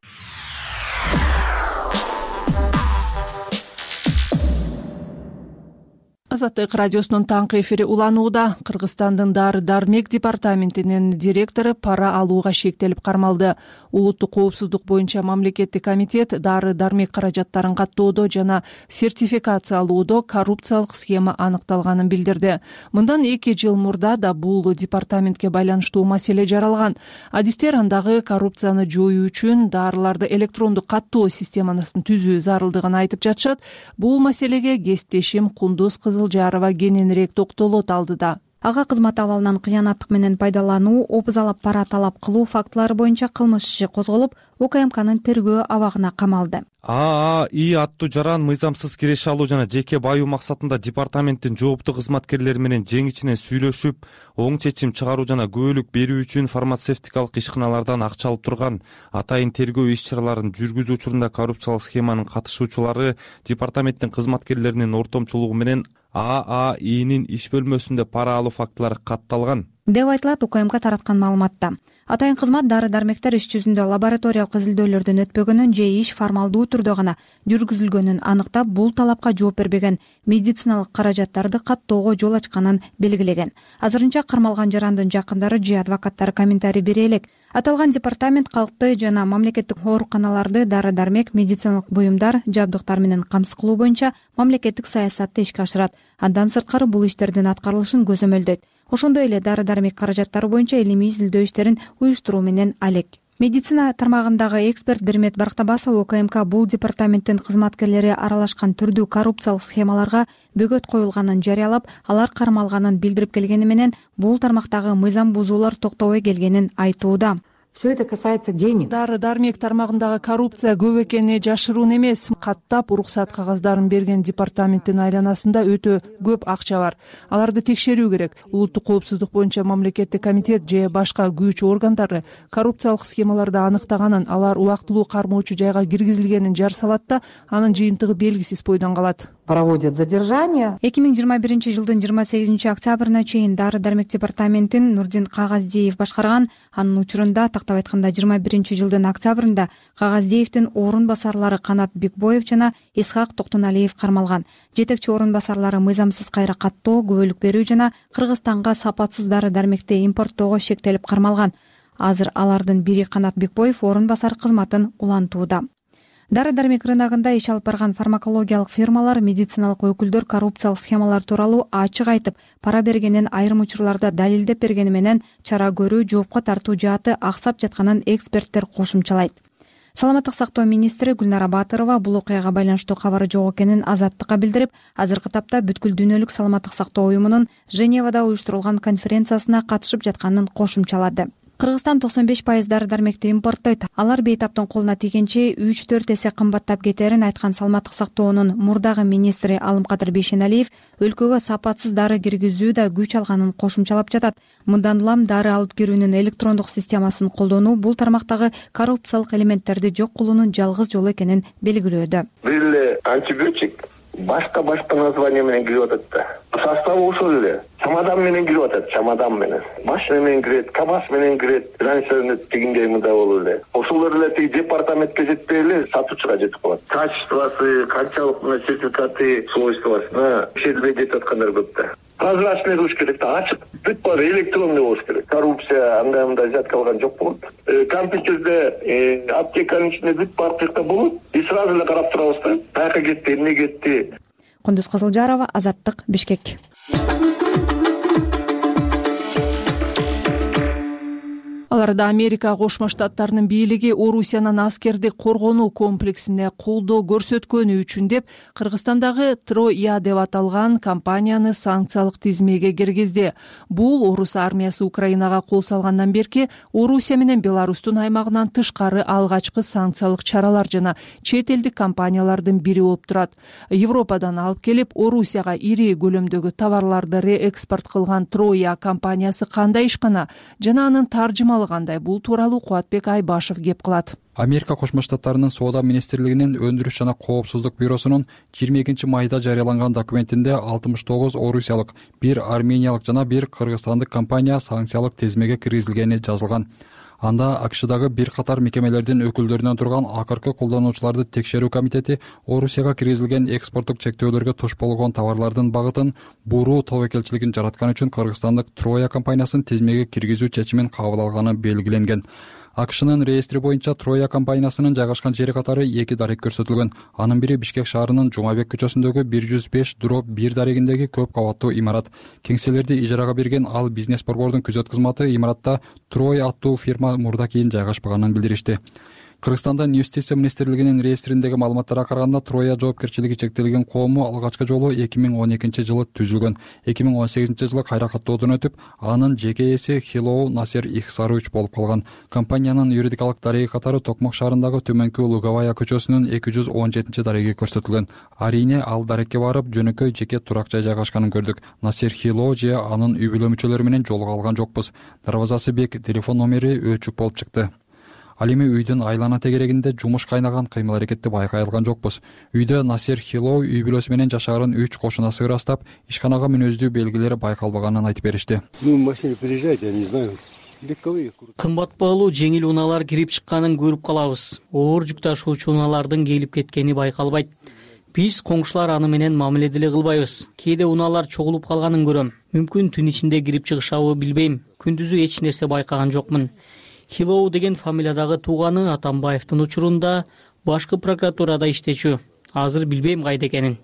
Азаттык радиосунун таңкы эфири уланууда. Кыргызстандын дары дармек департаментинин директору пара алууга шектелип кармалды. Улуттук коопсуздук боюнча мамлекеттик комитет дары дармек каражаттарын каттоодо жана сертификациялоодо коррупциялык схема аныкталганын билдирди. Мындан эки жыл мурда да бул департаментке байланыштуу маселе жаралган. Адистер андагы коррупцияны жоюу үчүн дарыларды электрондук каттоо системасын түзүү зарылдыгын айтып жатышат. Бул маселеге кесиптешим Кундуз Кызылжарова кененирээк токтолот алдыда. Ага кызмат абалынан кыянаттык менен пайдалануу, обузалап пара талап кылуу фактылары боюнча кылмыш иши козголуп, УКМКнын тергөө абагына камалды. ААИ аттуу жаран мыйзамсыз киреше алуу жана жеке баюу максатында департаменттин жооптуу кызматкерлери менен жең ичинен сүйлөшүп, оң чечим чыгаруу жана күбөлүк берүү үчүн фармацевтикалык ишканалардан акча алып турган. Атайын тергөө иш-чараларын жүргүзүү учурунда коррупциялык схеманын катышуучулары департаменттин кызматкерлеринин ортомчулугу менен ААИнин иш бөлмөсүндө пара алуу фактылары катталган деп айтылат УКМК тараткан маалыматта. Атайын кызмат дары дармектер иш жүзүндө лабораториялык изилдөөлөрдөн өтпөгөнүн же иш формалдуу түрдө гана жүргүзүлгөнүн аныктап, бул талапка жооп бербеген медициналык каражаттарды каттоого жол ачканын белгилеген. Азырынча кармалган жарандын жакындары же адвокаттары комментарий бере элек. Аталган департамент калкты жана мамлекеттик ооруканаларды дары дармек, медициналык буюмдар, жабдыктар менен камсыз кылуу боюнча мамлекеттик саясатты ишке ашырат. Андан сырткары бул иштердин аткарылышын көзөмөлдөйт. Ошондой эле дары дармек каражаттары боюнча илимий изилдөө иштерин уюштуруу менен алек. Медицина тармагындагы эксперт Бермет Барктабасов УКМК бул департаменттин кызматкерлери аралашкан түрдүү коррупциялык схемаларга бөгөт коюлганын жарыялап, алар кармалганын билдирип келгени менен бул тармактагы мыйзам бузуулар токтобой келгенин айтууда. Все это касается денег. Дары дармек тармагындагы коррупция көп экени жашыруун эмес. Каттап уруксат кагаздарын берген департаменттин айланасында өтө көп акча бар. Аларды текшерүү керек. Улуттук коопсуздук боюнча мамлекеттик комитет же башка күч органдары коррупциялык схемаларды аныктаганын, алар убактылуу кармоочу жайга киргизилгенин жар салат да, анын жыйынтыгы белгисиз бойдон калат. Проводят задержание. эки миң жыйырма биринчи жылдын жыйырма сегизинчи октябрына чейин дары дармек департаментин Нурдин Кагаздиев башкарган. Анын учурунда, тактап айтканда, жыйырма биринчи жылдын октябрында Кагаздиевдин орун басарлары Канат Бекбоев жана Исхак Токтоналиев кармалган. Жетекчи орун басарлары мыйзамсыз кайра каттоо, күбөлүк берүү жана Кыргызстанга сапатсыз дары дармекти импорттоого шектелип кармалган. Азыр алардын бири Канат Бекбоев орун басар кызматын улантууда. Дары дармек рыногунда иш алып барган фармакологиялык фирмалар, медициналык өкүлдөр коррупциялык схемалар тууралуу ачык айтып, пара бергенин айрым учурларда далилдеп бергени менен чара көрүү, жоопко тартуу жааты аксап жатканын эксперттер кошумчалайт. Саламаттык сактоо министри Гүлнара Батырова бул окуяга байланыштуу кабары жок экенин Азаттыкка билдирип, азыркы тапта бүткүл дүйнөлүк саламаттык сактоо уюмунун Женевада уюштурулган конференциясына катышып жатканын кошумчалады. Кыргызстан токсон беш пайыз дары дармекти импорттойт. Алар бейтаптын колуна тийгенче үч төрт эсе кымбаттап кетерин айткан саламаттык сактоонун мурдагы министри Алымкадыр Бейшеналиев өлкөгө сапатсыз дары киргизүү да күч алганын кошумчалап жатат. Мындан улам дары алып кирүүнүн электрондук системасын колдонуу бул тармактагы коррупциялык элементтерди жок кылуунун жалгыз жолу экенин белгилөөдө. Бул антибиотик башка башка название менен кирип атат да. Составы ошол эле. Чамадан менен кирип атат, чамадан менен. Машина менен кирет, КамАЗ менен кирет. Раньше тигиндей мында болуп эле. Ошолор эле тиги департаментке жетпей эле сатуучуга жетип калат. Качествосы, канчалык мына сертификаты, свойствосуна текшерилбей кетип аткандар көп да. Прозрачный болуш керек да, ачык. Бүт баары электрондой болуш керек. Коррупция андай мындай зат калган жок болот. Компьютерде аптеканын ичинде бүт баары тыйкта болот. И сразу эле карап турабыз да. Каяка кетти, эмне кетти. Кундуз Кызылжарова, Азаттык, Бишкек. Аларда Америка Кошмо Штаттарынын бийлиги Орусиянын аскердик коргонуу комплексине колдоо көрсөткөнү үчүн деп Кыргызстандагы Троя деп аталган компанияны санкциялык тизмеге киргизди. Бул Орус армиясы Украинага кол салгандан берки Орусия менен Беларустун аймагынан тышкары алгачкы санкциялык чаралар жана чет элдик компаниялардын бири болуп турат. Европадан алып келип Орусияга ири көлөмдөгү товарларды реэкспорт кылган Троя компаниясы кандай ишкана жана анын таржымалы кандай, бул тууралуу Кубатбек Айбашев кеп кылат. Америка Кошмо Штаттарынын соода министрлигинин өндүрүш жана коопсуздук бюросунун жыйырма экинчи майда жарыяланган документинде алтымыш тогуз орусиялык, бир армениялык жана бир кыргызстандык компания санкциялык тизмеге киргизилгени жазылган. Анда АКШдагы бир катар мекемелердин өкүлдөрүнөн турган акыркы колдонуучуларды текшерүү комитети Орусияга киргизилген экспорттук чектөөлөргө туш болгон товарлардын багытын буруу тобокелчилигин жараткан үчүн кыргызстандык Троя компаниясын тизмеге киргизүү чечимин кабыл алганы белгиленген. АКШнын реестри боюнча Троя компаниясынын жайгашкан жери катары эки дарек көрсөтүлгөн. Анын бири Бишкек шаарынын Жумабек көчөсүндөгү бир жүз беш дробь бир дарегиндеги көп кабаттуу имарат. Кеңселерди ижарага берген ал бизнес борбордун күзөт кызматы имаратта Трой аттуу фирма мурда кийин жайгашпаганын билдиришти. Кыргызстандын Юстиция министрлигинин реестриндеги маалыматтарга караганда Троя жоопкерчилиги чектелген коому алгачкы жолу эки миң он экинчи жылы түзүлгөн. эки миң он сегизинчи жылы кайра каттоодон өтүп, анын жеке ээси Хилоу Насер Ихсарович болуп калган. Компаниянын юридикалык дареги катары Токмок шаарындагы Төмөнкү Луговая көчөсүнүн эки жүз он жетинчи дареги көрсөтүлгөн. Арийне ал дарекке барып, жөнөкөй жеке турак жай жайгашканын көрдүк. Насер Хилоу же анын үй бүлө мүчөлөрү менен жолуга алган жокпуз. Дарбазасы бек, телефон номери өчүк болуп чыкты. Ал эми үйдүн айлана тегерегинде жумуш кайнаган кыймыл аракетти байкай алган жокпуз. Үйдө Насер Хилоу үй бүлөсү менен жашаарын үч кошунасы ырастап, ишканага мүнөздүү белгилери байкалбаганын айтып беришти. Кымбат баалуу жеңил унаалар кирип чыкканын көрүп калабыз. Оор жүк ташуучу унаалардын келип кеткени байкалбайт. Биз коңшулар аны менен мамиле деле кылбайбыз. Кээде унаалар чогулуп калганын көрөм. Мүмкүн түн ичинде кирип чыгышабы билбейм. Күндүзү эч нерсе байкаган жокмун. Хилоу деген фамилиядагы тууганы Атамбаевдин учурунда башкы прокуратурада иштечү. Азыр билбейм кайда экенин.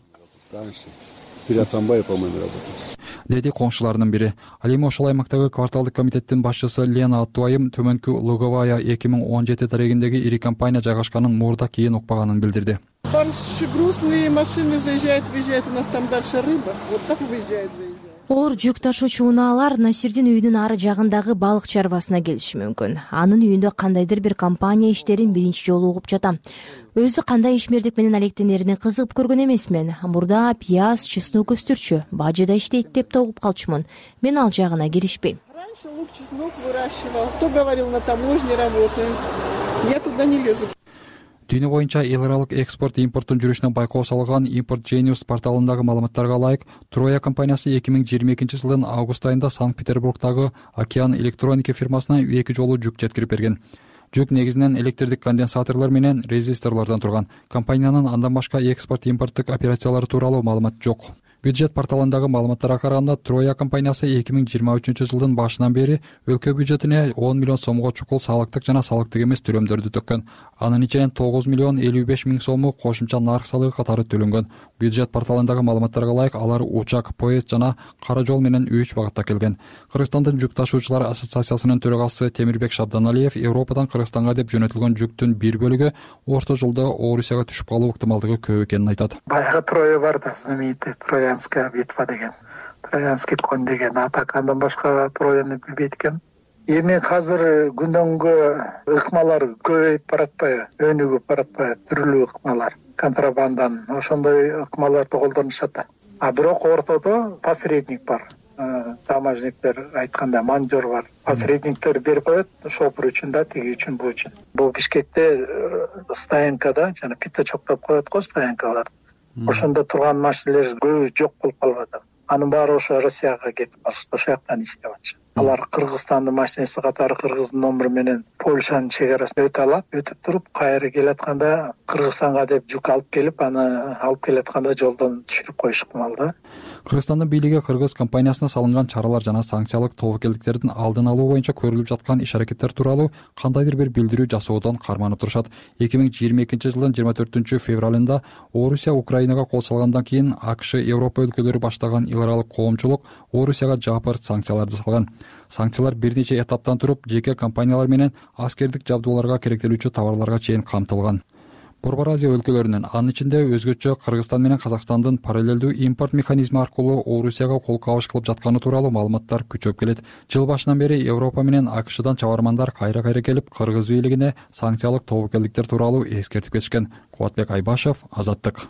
Деди коңшуларынын бири. Ал эми ошол аймактагы кварталдык комитеттин башчысы Лена Аттуайым Төмөнкү Луговая эки миң он жети дарегиндеги ири компания жайгашканын мурда кийин укпаганын билдирди. Грузные машины заезжают, выезжают, у нас там дальше рыба. Вот так выезжает, заезжает. Оор жүк ташуучу унаалар Насирдин үйүнүн ары жагындагы балык чарбасына келиши мүмкүн. Анын үйүндө кандайдыр бир компания иштерин биринчи жолу угуп жатам. Өзү кандай ишмердик менен алектенерине кызыгып көргөн эмесмин. Мурда пияз, чеснок өстүрчү, бажыда иштейт деп да угуп калчумун. Мен ал жагына киришпейм. Раньше лук, чеснок выращивал. Кто говорил, на таможне работает. Я туда не лезу. Дүйнө боюнча эл аралык экспорт импорттун жүрүшүнө байкоо салган Import Genius порталындагы маалыматтарга ылайык, Троя компаниясы эки миң жыйырма экинчи жылдын август айында Санкт-Петербургдагы Океан электроника фирмасына эки жолу жүк жеткирип берген. Жүк негизинен электрдик конденсаторлор менен резисторлордон турган. Компаниянын андан башка экспорт-импорттук операциялары тууралуу маалымат жок. Бюджет порталындагы маалыматтарга караганда Троя компаниясы эки миң жыйырма үчүнчү жылдын башынан бери өлкө бюджетине он миллион сомго чукул салыктык жана салыктык эмес төлөмдөрдү төккөн. Анын ичинен тогуз миллион элүү беш миң сому кошумча нарк салыгы катары төлөнгөн. Бюджет порталындагы маалыматтарга ылайык, алар учак, поезд жана кара жол менен үч багытта келген. Кыргызстандын жүк ташуучулар ассоциациясынын төрагасы Темирбек Шабданалиев Европадан Кыргызстанга деп жөнөтүлгөн жүктүн бир бөлүгү орто жолдо Орусияга түшүп калуу ыктымалдыгы көп экенин айтат. Баягы Троя бар да, знаменитый Троянская битва деген, Троянский конь деген атак, андан башка Трояны билбейт экен. Эми азыр күндөн күнгө ыкмалар көбөйүп баратпайбы, өнүгүп баратпайбы, түрлүү ыкмалар, контрабандан, ошондой ыкмаларды колдонушат. А бирок ортодо посредник бар. Таможниктер айтканда манжор бар. Посредниктер берип коет, шопур үчүн да, тиги үчүн, бу үчүн. Бул Бишкекте стоянкада жана пятачок деп коет го, стоянкалар. Ошондо турган машиналер көбү жок болуп калбады. Анын баары ошо Россияга кетип калышты, ошол жактан иштеп атышат. Алар Кыргызстандын машинеси катары Кыргыздын номуру менен Польшанын чек арасын өтө алат, өтүп туруп кайра келатканда Кыргызстанга деп жүк алып келип, аны алып келатканда жолдон түшүрүп коюш ыктымал да. Кыргызстандын бийлиги кыргыз компаниясына салынган чаралар жана санкциялык тобокелдиктердин алдын алуу боюнча көрүлүп жаткан иш-аракеттер тууралуу кандайдыр бир билдирүү жасоодон карманып турушат. эки миң жыйырма экинчи жылдын жыйырма төртүнчү февралында Орусия Украинага кол салгандан кийин АКШ, Европа өлкөлөрү баштаган эл аралык коомчулук Орусияга жапырт санкцияларды салган. Санкциялар бир нече этаптан туруп, жеке компаниялар менен аскердик жабдууларга керектелүүчү товарларга чейин камтылган. Борбор Азия өлкөлөрүнүн, анын ичинде өзгөчө Кыргызстан менен Казакстандын параллелдүү импорт механизми аркылуу Орусияга кол кабыш кылып жатканы тууралуу маалыматтар күчөп келет. Жыл башынан бери Европа менен АКШдан чабармандар кайра-кайра келип, кыргыз бийлигине санкциялык тобокелдиктер тууралуу эскертип кетишкен. Кубатбек Айбашев, Азаттык.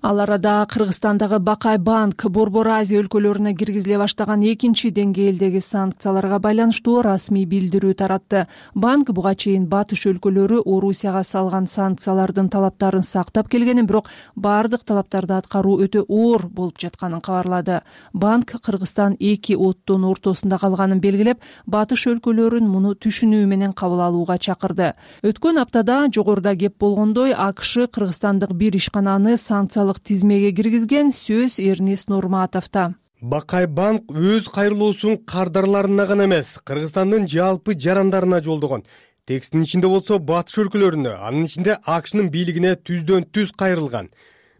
Ал арада Кыргызстандагы Бакай банк Борбор Азия өлкөлөрүнө киргизиле баштаган экинчи деңгээлдеги санкцияларга байланыштуу расмий билдирүү таратты. Банк буга чейин батыш өлкөлөрү Орусияга салган санкциялардын талаптарын сактап келгенин, бирок бардык талаптарды аткаруу өтө оор болуп жатканын кабарлады. Банк Кыргызстан эки оттун ортосунда калганын белгилеп, батыш өлкөлөрүн муну түшүнүү менен кабыл алууга чакырды. Өткөн аптада жогоруда кеп болгондой АКШ Кыргызстандык бир ишкананы санкциялык тизмеге киргизген, сөз Эрнест Нурматовдо. Бакай банк өз кайрылуусун кардарларына гана эмес, Кыргызстандын жалпы жарандарына жолдогон. Текстин ичинде болсо батыш өлкөлөрүнө, анын ичинде АКШнын бийлигине түздөн түз кайрылган.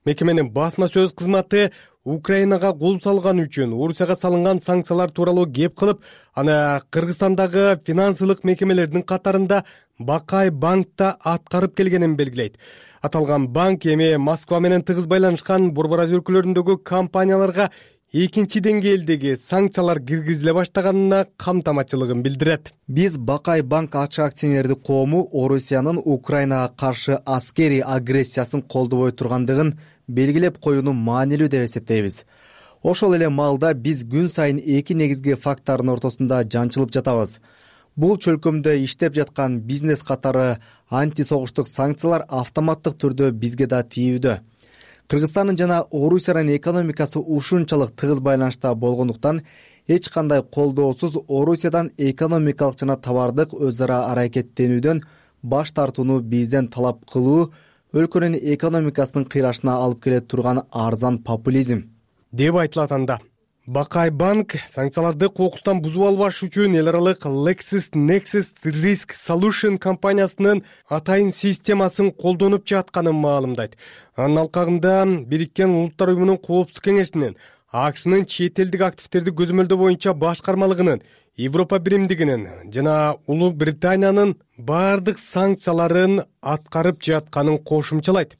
Мекеменин басма сөз кызматы Украинага кол салган үчүн Орусияга салынган санкциялар тууралуу кеп кылып, аны Кыргызстандагы финансылык мекемелердин катарында Бакай банкта аткарып келгенин белгилейт. Аталган банк эми Москва менен тыгыз байланышкан Борбор Азия өлкөлөрүндөгү компанияларга экинчи деңгээлдеги санкциялар киргизиле баштаганына камтамачылыгын билдирет. Биз Бакай банк ачык акционердик коому Орусиянын Украинага каршы аскерий агрессиясын колдобой тургандыгын белгилеп коюуну маанилүү деп эсептейбиз. Ошол эле маалда биз күн сайын эки негизги фактордун ортосунда жанчылып жатабыз. Бул чөлкөмдө иштеп жаткан бизнес катары антисогуштук санкциялар автоматтык түрдө бизге да тийүүдө. Кыргызстандын жана Орусиянын экономикасы ушунчалык тыгыз байланышта болгондуктан эч кандай колдоосуз Орусиядан экономикалык жана товардык өз ара аракеттенүүдөн баш тартууну бизден талап кылуу өлкөнүн экономикасынын кыйрашына алып келе турган арзан популизм деп айтылат анда. Бакай банк санкцияларды кокустан бузуп албаш үчүн эл аралык LexisNexis Risk Solution компаниясынын атайын системасын колдонуп жатканын маалымдайт. Анын алкагында Бириккен Улуттар уюмунун коопсуздук кеңешинин, АКШнын чет элдик активдерди көзөмөлдөө боюнча башкармалыгынын, Европа биримдигинин жана Улуу Британиянын бардык санкцияларын аткарып жатканын кошумчалайт.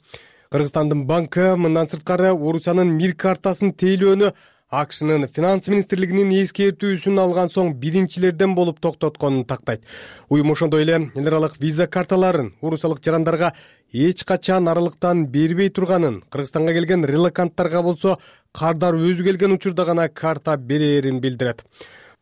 Кыргызстандын банкы мындан сырткары Орусиянын мир картасын тейлөөнү АКШнын финанс министрлигинин эскертүүсүн алган соң биринчилерден болуп токтотконун тактайт. Уюм ошондой эле эл аралык виза карталарын орусиялык жарандарга эч качан аралыктан бербей турганын, Кыргызстанга келген релоканттарга болсо кардар өзү келген учурда гана карта берерин билдирет.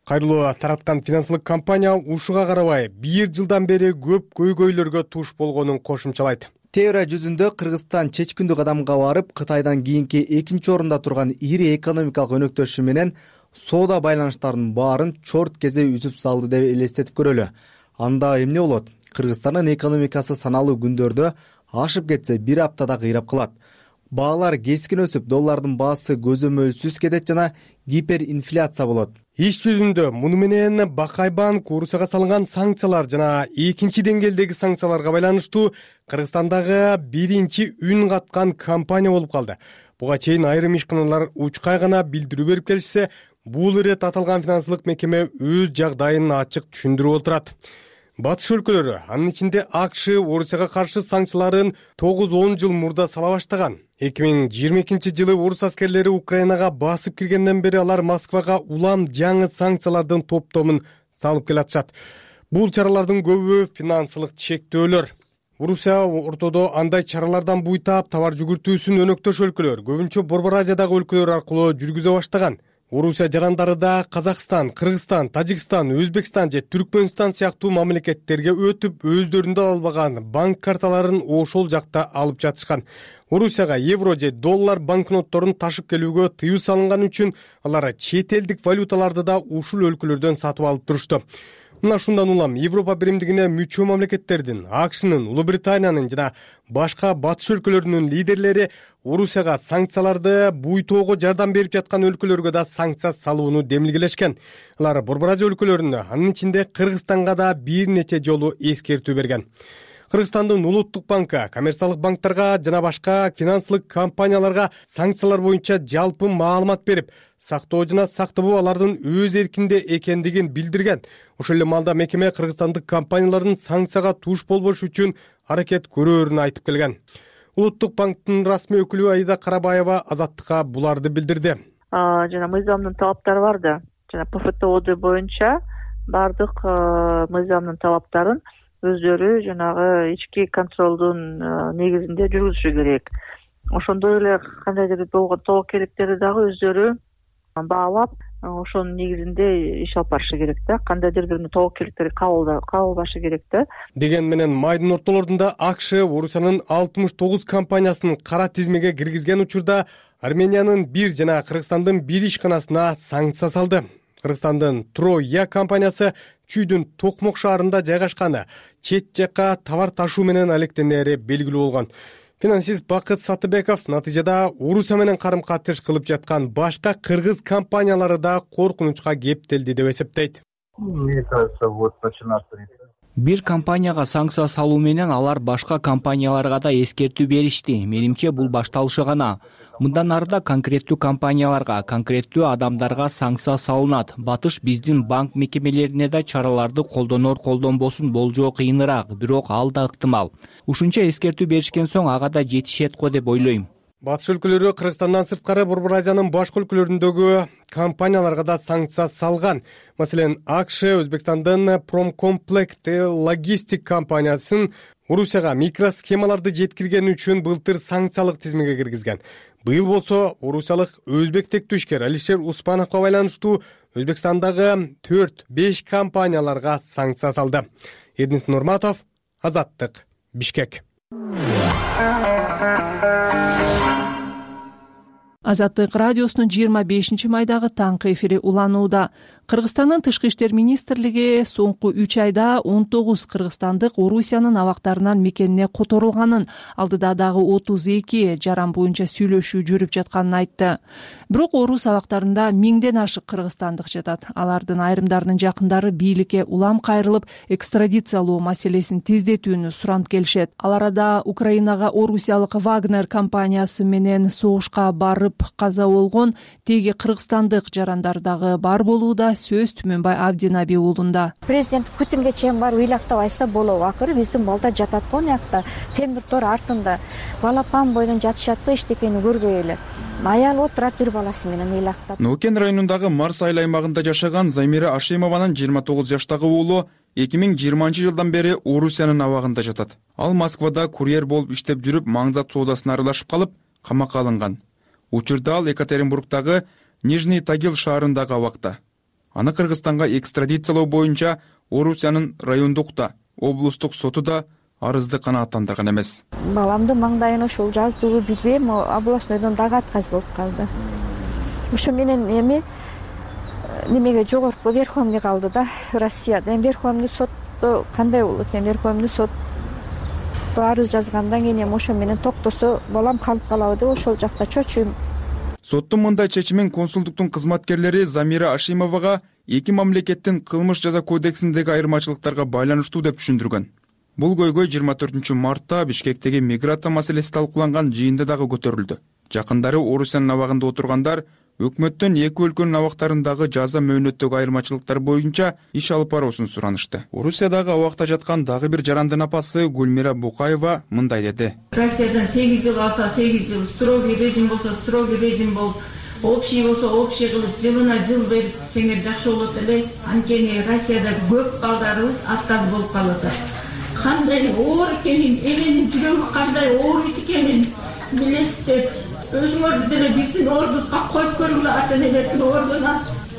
Кайрылуу тараткан финансылык компания ушуга карабай бир жылдан бери көп көйгөйлөргө туш болгонун кошумчалайт. Теория жүзүндө Кыргызстан чечкиндүү кадамга барып, Кытайдан кийинки экинчи орунда турган ири экономикалык өнөктөшү менен соода байланыштарынын баарын чорт кезде үзүп салды деп элестетип көрөлү. Анда эмне болот? Кыргызстандын экономикасы саналуу күндөрдө ашып кетсе бир аптада кыйрап калат. Баалар кескин өсүп, доллардын баасы көзөмөлсүз кетет жана гиперинфляция болот. Иш жүзүндө муну менен Бакай банк Орусияга салынган санкциялар жана экинчи деңгээлдеги санкцияларга байланыштуу Кыргызстандагы биринчи үн каткан компания болуп калды. Буга чейин айрым ишканалар учкай гана билдирүү берип келишсе, бул ирет аталган финансылык мекеме өз жагдайын ачык түшүндүрүп отурат. Батыш өлкөлөрү, анын ичинде АКШ Орусияга каршы санкцияларын тогуз он жыл мурда сала баштаган. эки миң жыйырма экинчи жылы орус аскерлери Украинага басып киргенден бери алар Москвага улам жаңы санкциялардын топтомун салып келатышат. Бул чаралардын көбү финансылык чектөөлөр. Орусия ортодо андай чаралардан буйтап товар жүгүртүүсүн өнөктөш өлкөлөр, көбүнчө Борбор Азиядагы өлкөлөр аркылуу жүргүзө баштаган. Орусия жарандары да Казакстан, Кыргызстан, Тажикстан, Өзбекстан же Түркмөнстан сыяктуу мамлекеттерге өтүп, өздөрүндө албаган банк карталарын ошол жакта алып жатышкан. Орусияга евро же доллар банкнотторун ташып келүүгө тыюу салынган үчүн алар чет элдик валюталарды да ушул өлкөлөрдөн сатып алып турушту. Мына ушундан улам Европа биримдигине мүчө мамлекеттердин, АКШнын, Улуу Британиянын жана башка батыш өлкөлөрүнүн лидерлери Орусияга санкцияларды буйтоого жардам берип жаткан өлкөлөргө да санкция салууну демилгелешкен. Алар Борбор Азия өлкөлөрүнө, анын ичинде Кыргызстанга да бир нече жолу эскертүү берген. Кыргызстандын Улуттук банкы коммерциялык банктарга жана башка финансылык компанияларга санкциялар боюнча жалпы маалымат берип, сактоо жана сактабоо алардын өз эркинде экендигин билдирген. Ошол эле маалда мекеме кыргызстандык компаниялардын санкцияга туш болбош үчүн аракет көрөөрүн айтып келген. Улуттук банктын расмий өкүлү Аида Карабаева Азаттыкка буларды билдирди. Жана мыйзамдын талаптары бар да, жана ПФТОД боюнча бардык мыйзамдын талаптарын өздөрү жанагы ички контролдун негизинде жүргүзүшү керек. ошондой эле кандайдыр болгон тобокелдиктери дагы өздөрү баалап ошонун негизинде иш алып барышы керек да, кандайдыр бир тобокелдиктерди кабылбашы керек да деген менен майдын ортолорунда АКШ Орусиянын алтымыш тогуз компаниясын кара тизмеге киргизген учурда Армениянын бир жана Кыргызстандын бир ишканасына санкция салды. Кыргызстандын Троя компаниясы Чүйдүн Токмок шаарында жайгашканы чет жакка товар ташуу менен алектенери белгилүү болгон. Финансист Бакыт Сатыбеков натыйжада Орусия менен карым-катыш кылып жаткан башка кыргыз компаниялары да коркунучка кептелди деп эсептейт. Мне кажется, вот начинаться бир компанияга санкция салуу менен алар башка компанияларга да эскертүү беришти. Менимче бул башталышы гана. Мындан ары да конкреттүү компанияларга, конкреттүү адамдарга санкция салынат. Батыш биздин банк мекемелерине да чараларды колдонор колдонбосун болжоо кыйыныраак, бирок ал да ыктымал. Ушунча эскертүү беришкен соң ага да жетишет го деп ойлойм. Батыш өлкөлөрү Кыргызстандан сырткары Борбор Азиянын башка өлкөлөрүндөгү компанияларга да санкция салган. Маселен, АКШ Өзбекстандын Промкомплект логистик компаниясын Орусияга микросхемаларды жеткиргени үчүн былтыр санкциялык тизмеге киргизген. Быйыл болсо орусиялык өзбек тектүшкер Алишер Успановго байланыштуу Өзбекстандагы төрт беш компанияларга санкция салды. Эрнис Нурматов, Азаттык, Бишкек. Азаттык радиосунун жыйырма бешинчи майдагы таңкы эфири уланууда. Кыргызстандын Тышкы иштер министрлиги соңку үч айда он тогуз кыргызстандык Орусиянын абактарынан мекенине которулганын, алдыда дагы отуз эки жаран боюнча сүйлөшүү жүрүп жатканын айтты. Бирок орус абактарында миңден ашык кыргызстандык жатат. Алардын айрымдарынын жакындары бийликке улам кайрылып, экстрадициялоо маселесин тездетүүнү суранып келишет. Ал арада Украинага орусиялык Вагнер компаниясы менен согушка барып каза болгон теги кыргызстандык жарандар дагы бар болууда. Сөз Түмөнбай Абдинаби уулунда. Президент Путинге чейин барып ыйлактап айтса болобу. Акыры биздин балдар жатат го муякта, темир тор артында. Балапан бойдон жатышатпы эчтекени көрбөй эле. Аял отурат бир баласы менен ыйлактап. Нукен районундагы Марс айыл аймагында жашаган Замира Ашимованын жыйырма тогуз жаштагы уулу эки миң жыйырманчы жылдан бери Орусиянын абагында жатат. Ал Москвада курьер болуп иштеп жүрүп, маңзат соодасына аралашып калып, камакка алынган. Учурда ал Екатеринбургдагы Нижний Тагил шаарындагы абакта. Аны Кыргызстанга экстрадициялоо боюнча Орусиянын райондук да, облустук соту да арызды канааттандырган эмес. Баламдын маңдайына ошол жаздыбы билбейм, областнойдон дагы отказ болуп калды. Ошо менен эми немеге жогорку верховный калды да, Россияда. Эми верховный сотто кандай болот экен? Верховный сот арыз жазгандан кийин эми ошо менен токтосо балам калып калабы деп ошол жакта чочуйм. Соттун мындай чечимин консулдуктун кызматкерлери Замира Ашимовага эки мамлекеттин кылмыш жаза кодексиндеги айырмачылыктарга байланыштуу деп түшүндүргөн. Бул көйгөй жыйырма төртүнчү мартта Бишкектеги миграция маселеси талкууланган жыйында дагы көтөрүлдү. Жакындары Орусиянын абагында отургандар өкмөттөн эки өлкөнүн абактарындагы жаза мөөнөттөгү айырмачылыктар боюнча иш алып баруусун суранышты. Орусиядагы абакта жаткан дагы бир жарандын апасы Гүлмира Букаева мындай деди. Россиядан сегиз жыл алса сегиз жыл, строгий режим болсо строгий режим болуп, общий болсо общий кылып, жылына жыл берип сеңер жакшы болот эле. Анткени Россияда көп балдарыбыз отказ болуп калат. Кандай оор экенин, эненин жүрөгү кандай оор экенин билесиздер. Өзүңөр деле биздин ордубузга коюп көргүлө, ата-энелердин ордуна.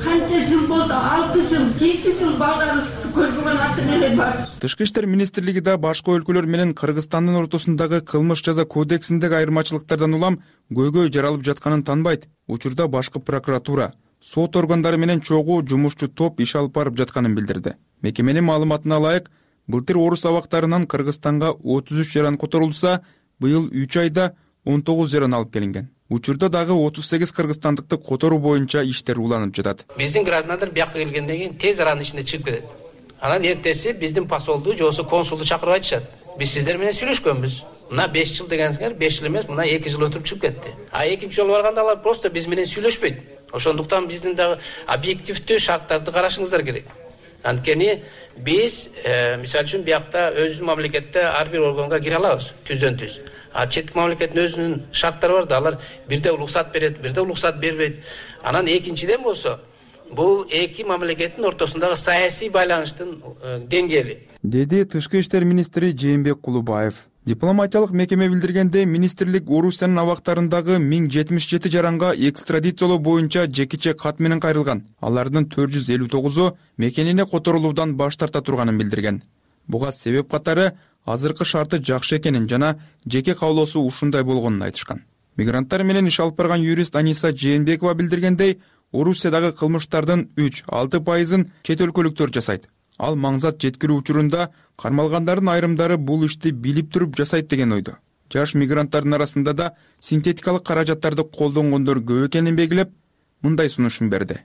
Канча жыл болду, алты жыл, жети жыл балдарыбыз көрбөгөн ата-энелер бар. Тышкы иштер министрлиги да башка өлкөлөр менен Кыргызстандын ортосундагы кылмыш жаза кодексиндеги айырмачылыктардан улам көйгөй жаралып жатканын танбайт. Учурда башкы прокуратура, сот органдары менен чогуу жумушчу топ иш алып барып жатканын билдирди. Мекеменин маалыматына ылайык, былтыр орус абактарынан Кыргызстанга отуз үч жаран которулса, быйыл үч айда он тогуз жаран алып келинген. Учурда дагы отуз сегиз кыргызстандыкты которуу боюнча иштер уланып жатат. Биздин граждандар бияка келгенден кийин тез аранын ичинде чыгып кетет. Анан эртеси биздин посолду же болбосо консулду чакырып айтышат. Биз сиздер менен сүйлөшкөнбүз. Мына беш жыл дегенсиңер, беш жыл эмес, мына эки жыл өтүп чыгып кетти. А экинчи жолу барганда алар просто биз менен сүйлөшпөйт. Ошондуктан биздин дагы объективдүү шарттарды карашыңыздар керек. Анткени биз, мисалы үчүн, биякта өзүбүздүн мамлекетте ар бир органга кире алабыз, түздөн түз. А четтик мамлекеттин өзүнүн шарттары бар да, алар бирде уруксат берет, бирде уруксат бербейт. Анан экинчиден болсо, бул эки мамлекеттин ортосундагы саясий байланыштын деңгээли. Деди Тышкы иштер министри Жээнбек Кулубаев. Дипломатиялык мекеме билдиргендей, министрлик Орусиянын абактарындагы миң жетимиш жети жаранга экстрадициялоо боюнча жекиче кат менен кайрылган. Алардын төрт жүз элүү тогузу мекенине которулуудан баш тарта турганын билдирген. Буга себеп катары азыркы шарты жакшы экенин жана жеке каалоосу ушундай болгонун айтышкан. Мигранттар менен иш алып барган юрист Аниса Жээнбекова билдиргендей, Орусиядагы кылмыштардын үч алты пайызын чет өлкөлүктөр жасайт. Ал маңзат жеткирүү учурунда кармалгандардын айрымдары бул ишти билип туруп жасайт деген ойдо. Жаш мигранттардын арасында да синтетикалык каражаттарды колдонгондор көп экенин белгилеп, мындай сунушун берди.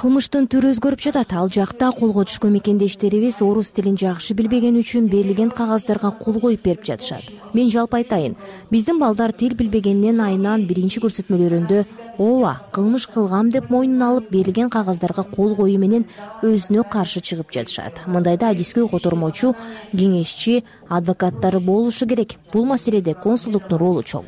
Кылмыштын түрү өзгөрүп жатат. Ал жакта колго түшкөн мекендештерибиз орус тилин жакшы билбеген үчүн берилген кагаздарга кол коюп берип жатышат. Мен жалпы айтайын, биздин балдар тил билбегеннен айынан биринчи көрсөтмөлөрүндө ооба, кылмыш кылгам деп мойнуна алып берилген кагаздарга кол коюу менен өзүнө каршы чыгып жатышат. Мындайда адискөй котормочу, кеңешчи, адвокаттары болушу керек. Бул маселеде консулдуктун ролу чоң.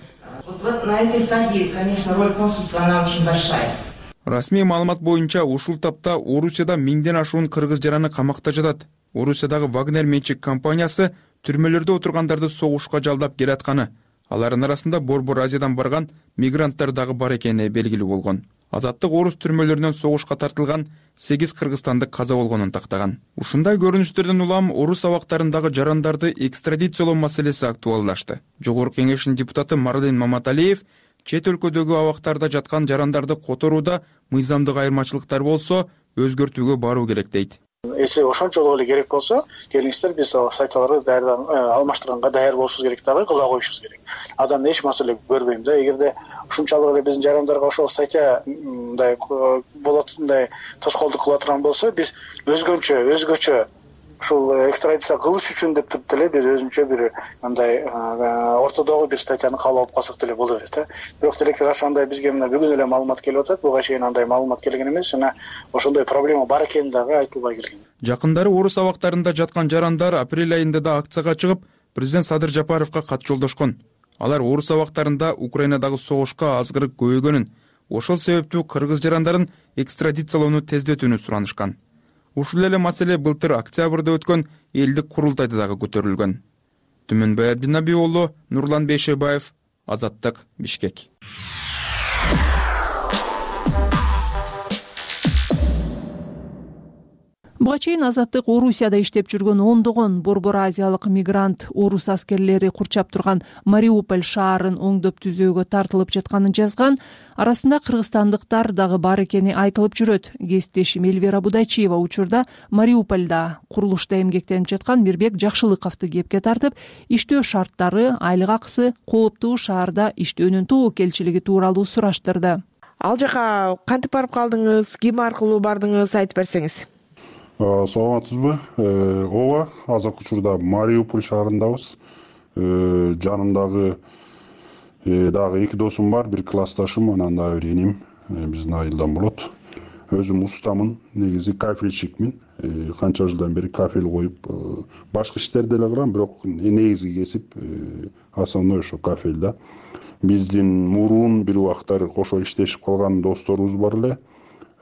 На этой стадии, конечно, роль консульства, она очень большая. Расмий маалымат боюнча ушул тапта Орусияда миңден ашуун кыргыз жараны камакта жатат. Орусиядагы Вагнер менчик компаниясы түрмөлөрдө отургандарды согушка жалдап келатканы, алардын арасында Борбор Азиядан барган мигранттар дагы бар экени белгилүү болгон. Азаттык орус түрмөлөрүнөн согушка тартылган сегиз кыргызстандык каза болгонун тактаган. Ушундай көрүнүштөрдөн улам орус абактарындагы жарандарды экстрадициялоо маселеси актуалдашты. Жогорку кеңештин депутаты Марлен Маматалиев чет өлкөдөгү абактарда жаткан жарандарды которууда мыйзамдык айырмачылыктар болсо, өзгөртүүгө баруу керек дейт. Если ошончолук эле керек болсо, келиңиздер, биз статьяларды даярдан алмаштырганга даяр болушубуз керек дагы, кыла коюшубуз керек. Адан эч маселе көрбөйм да. Эгерде ушунчалык эле биздин жарандарга ошол статья мындай болот, мындай тоскоолдук кыла турган болсо, биз өзгөчө, өзгөчө ушул экстрадиция кылыш үчүн деп туруп деле биз өзүнчө бир мындай ортодогу бир статьяны каалап алып калсак деле боло берет. Бирок тилекке каршы андай бизге мына бүгүн эле маалымат келип атат. Буга чейин андай маалымат келген эмес жана ошондой проблема бар экени дагы айтылбай келген. Жакындары орус абактарында жаткан жарандар апрель айында да акцияга чыгып, президент Садыр Жапаровго кат жолдошкон. Алар орус абактарында Украинадагы согушка азгырык көбөйгөнүн, ошол себептүү кыргыз жарандарын экстрадициялоону тездетүүнү суранышкан. Ушул эле маселе былтыр октябрда өткөн элдик курултайда дагы көтөрүлгөн. Түмөнбай Абдинаби уулу, Нурлан Бейшебаев, Азаттык, Бишкек. Буга чейин Азаттык Орусияда иштеп жүргөн ондогон Борбор Азиялык мигрант орус аскерлери курчап турган Мариуполь шаарын оңдоп түзөөгө тартылып жатканын жазган. Арасында кыргызстандыктар дагы бар экени айтылып жүрөт. Кесиптешим Эльвира Будайчиева учурда Мариупольда курулушта эмгектенип жаткан Мирбек Жакшылыковду кепке тартып, иштөө шарттары, айлык акысы, кооптуу шаарда иштөөнүн тобокелчилиги тууралуу сураштырды. Ал жака кантип барып калдыңыз, ким аркылуу бардыңыз, айтып берсеңиз. Саламатсызбы? Ооба, азыркы учурда Мариуполь шаарындабыз. Жанымдагы дагы эки досум бар, бир классташым, анан дагы бир энем, биздин айылдан болот. Өзүм устамын, негизи кафельщикмин. Канча жылдан бери кафель коюп, башка иштерди деле кылам, бирок негизги кесип основной ошо кафель да. Биздин мурун бир убактар кошо иштешип калган досторубуз бар эле.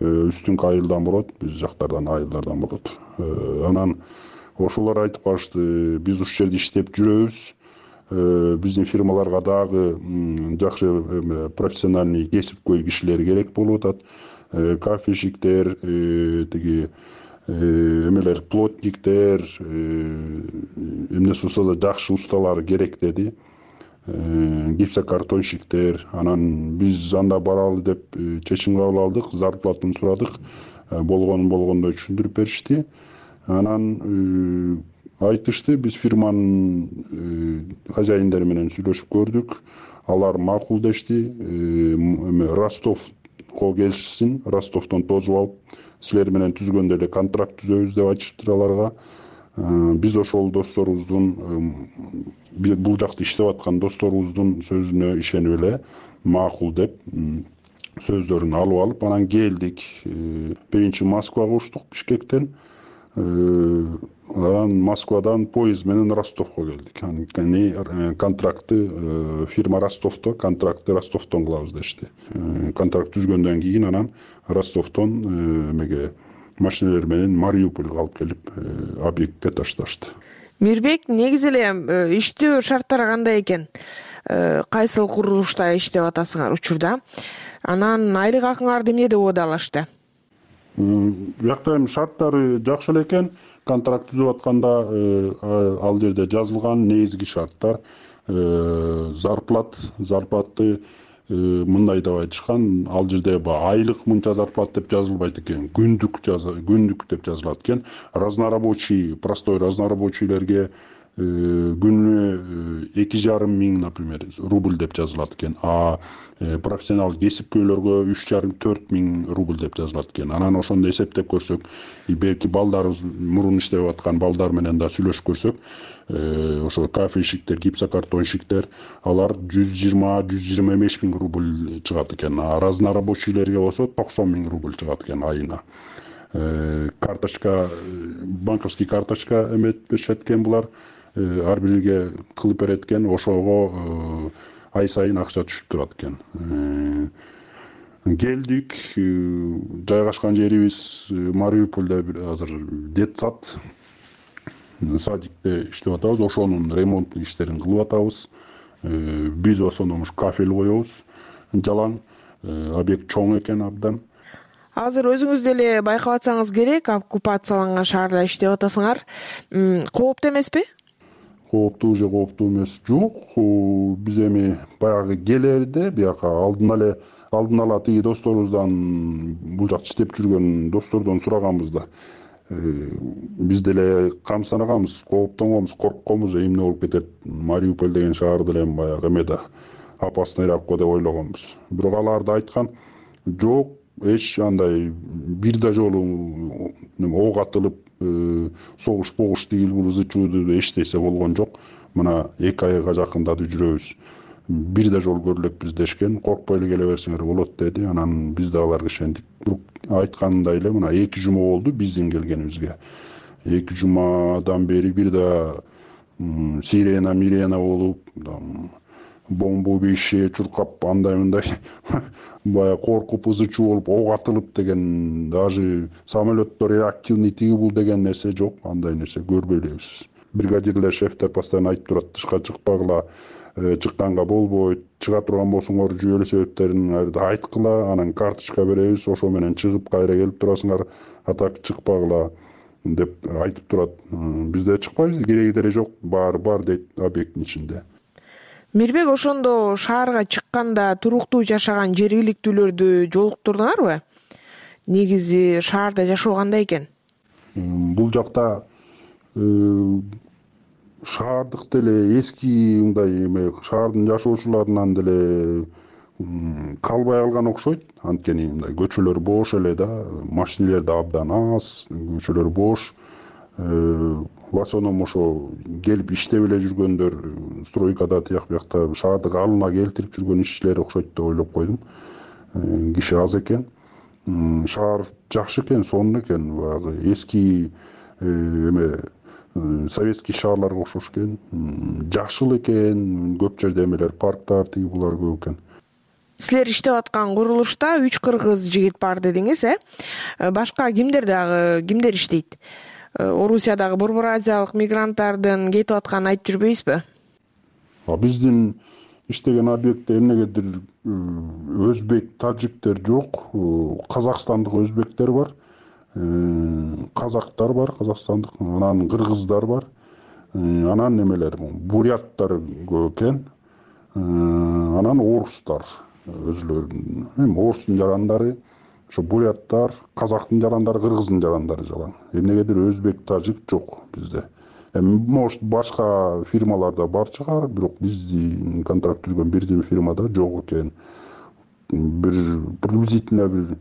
Үстүнкү айылдан болот, биз жактардан айылдардан болот. Анан ошолор айтып калышты, биз ушул жерде иштеп жүрөбүз. Биздин фирмаларга дагы жакшы профессиональный кесипкөй кишилер керек болуп атат. Кафельщиктер, тиги эмелер, плотниктер, эмнеси болсо да жакшы усталар керек деди. Гипсокартонщиктер. Анан биз анда баралы деп чечим кабыл алдык, зарплатаны сурадык. Болгонун болгондой түшүндүрүп беришти. Анан айтышты, биз фирманын хозяиндери менен сүйлөшүп көрдүк. Алар макул дешти. Ростовко келишсин, Ростовдон тосуп алып, силер менен түзгөндө эле контракт түзөбүз деп айтышыптыр аларга. Биз ошол досторубуздун, бул жакта иштеп аткан досторубуздун сөзүнө ишенип эле макул деп сөздөрүн алып алып, анан келдик. Биринчи Москвага учтук Бишкектен. Анан Москвадан поезд менен Ростовго келдик. Анан контрактты фирма Ростовдо, контрактты Ростовдон кылабыз дешти. Контракт түзгөндөн кийин анан Ростовдон эмеге машиналар менен Мариупольга алып келип объектке ташташты. Мирбек, негизи эле иштөө шарттары кандай экен? Кайсыл курулушта иштеп атасыңар учурда? Анан айлык акыңарды эмнеде убадалашты? Биякта эми шарттары жакшы эле экен. Контракт түзүп атканда ал жерде жазылган негизги шарттар зарплат, зарплаты мындай деп айтышкан. Ал жерде айлык мынча зарплат деп жазылбайт экен. Күндүк күндүк деп жазылат экен. Разнорабочий, простой разнорабочийлерге күнүнө эки жарым миң, например, рубль деп жазылат экен. А профессионал кесипкөйлөргө үч жарым төрт миң рубль деп жазылат экен. Анан ошондо эсептеп көрсөк, белки балдарыбыз мурун иштеп аткан балдар менен да сүйлөшүп көрсөк, ошо кафельщиктер, гипсокартонщиктер, алар жүз жыйырма жүз жыйырма беш миң рубль чыгат экен. А разнорабочийлерге болсо токсон миң рубль чыгат экен айына. Карточка, банковский карточка эмет беришет экен булар. Ар бирге кылып берет экен, ошого ай сайын акча түшүп турат экен. Келдик, жайгашкан жерибиз Мариупольдо азыр детсад, садикте иштеп атабыз, ошонун ремонттук иштерин кылып атабыз. Биз в основном кафель коебуз, жалаң, объект чоң экен абдан. Азыр өзүңүз деле байкап атсаңыз керек, оккупацияланган шаарда иштеп атасыңар. Кооптуу эмеспи? Кооптуу же кооптуу эмес жок. Биз эми баягы келерде бияка алдын эле алдын ала тиги досторубуздан, бул жакта иштеп жүргөн достордон сураганбыз да. Биз деле камсынаганбыз, кооптонгонбуз, коркконбуз, эмне болуп кетет. Мариуполь деген шаар деле баягы эме да опасныйраак го деп ойлогонбуз. Бирок алар да айткан, жок, эч андай бир да жолу ок атылып согуш погуш тигил бул ызы чууду эчтесе болгон жок. Мына эки айга жакындады жүрөбүз. Бир да жол көрүлөкпүз дешкен. Коркпой эле келе берсеңер болот деди. Анан биз да аларга ишендик. Бирок айткандай эле мына эки жума болду биздин келгенибизге. эки жумадан бери бир да сирена мирена болуп, бомба убийще чуркап, андай мындай бая коркуп ызы чуу болуп, ок атылып деген, даже самолеттор реактивный тиги бул деген нерсе жок. Андай нерсе көрбөй элебиз. Бригадирлер, шефтер постоянно айтып турат, тышка чыкпагыла, чыкканга болбойт, чыга турган болсоңор жүйөлүү себептерин айткыла, анан карточка беребиз, ошо менен чыгып кайра келип турасыңар, а так чыкпагыла деп айтып турат. Бизде чыкпайбыз, кереги деле жок, бар бар дейт объекттин ичинде. Мирбек, ошондо шаарга чыкканда туруктуу жашаган жергиликтүүлөрдү жолуктурдуңарбы? Негизи шаарда жашоо кандай экен? Бул жакта шаардык деле эски мындай эме шаардын жашоочуларынан деле калбай калган окшойт. Анткени мындай көчөлөр бош эле да, машинелер да абдан аз, көчөлөр бош. В основном ошо келип иштеп эле жүргөндөр стройкада тияк биякта шаардык алына келтирип жүргөн ишчилер окшойт деп ойлоп койдум. Киши аз экен. Шаар жакшы экен, сонун экен, баягы эски эме советский шаарларга окшош экен. Жакшыл экен, көп жерде эмелер, парктар тиги булар көп экен. Силер иштеп аткан курулушта үч кыргыз жигит бар дедиңиз, э? Башка кимдер дагы, кимдер иштейт? Орусиядагы Борбор Азиялык мигранттардын кетип атканын айтып жүрбөйсүзбү? Биздин иштеген объектте эмнегедир өзбек, тажиктер жок, казакстандык өзбектер бар, казактар бар, казакстандык, анан кыргыздар бар, анан немелер, буряттар көп экен, анан орустар өзүлөрүнүн, эми орустун жарандары, ошо буряттар, казактын жарандары, кыргыздын жарандары жалаң. Эмнегедир өзбек, тажик жок бизде. Эми может башка фирмаларда бар чыгар, бирок биздин контракт түзгөн бирден фирмада жок экен. Бир приблизительно бир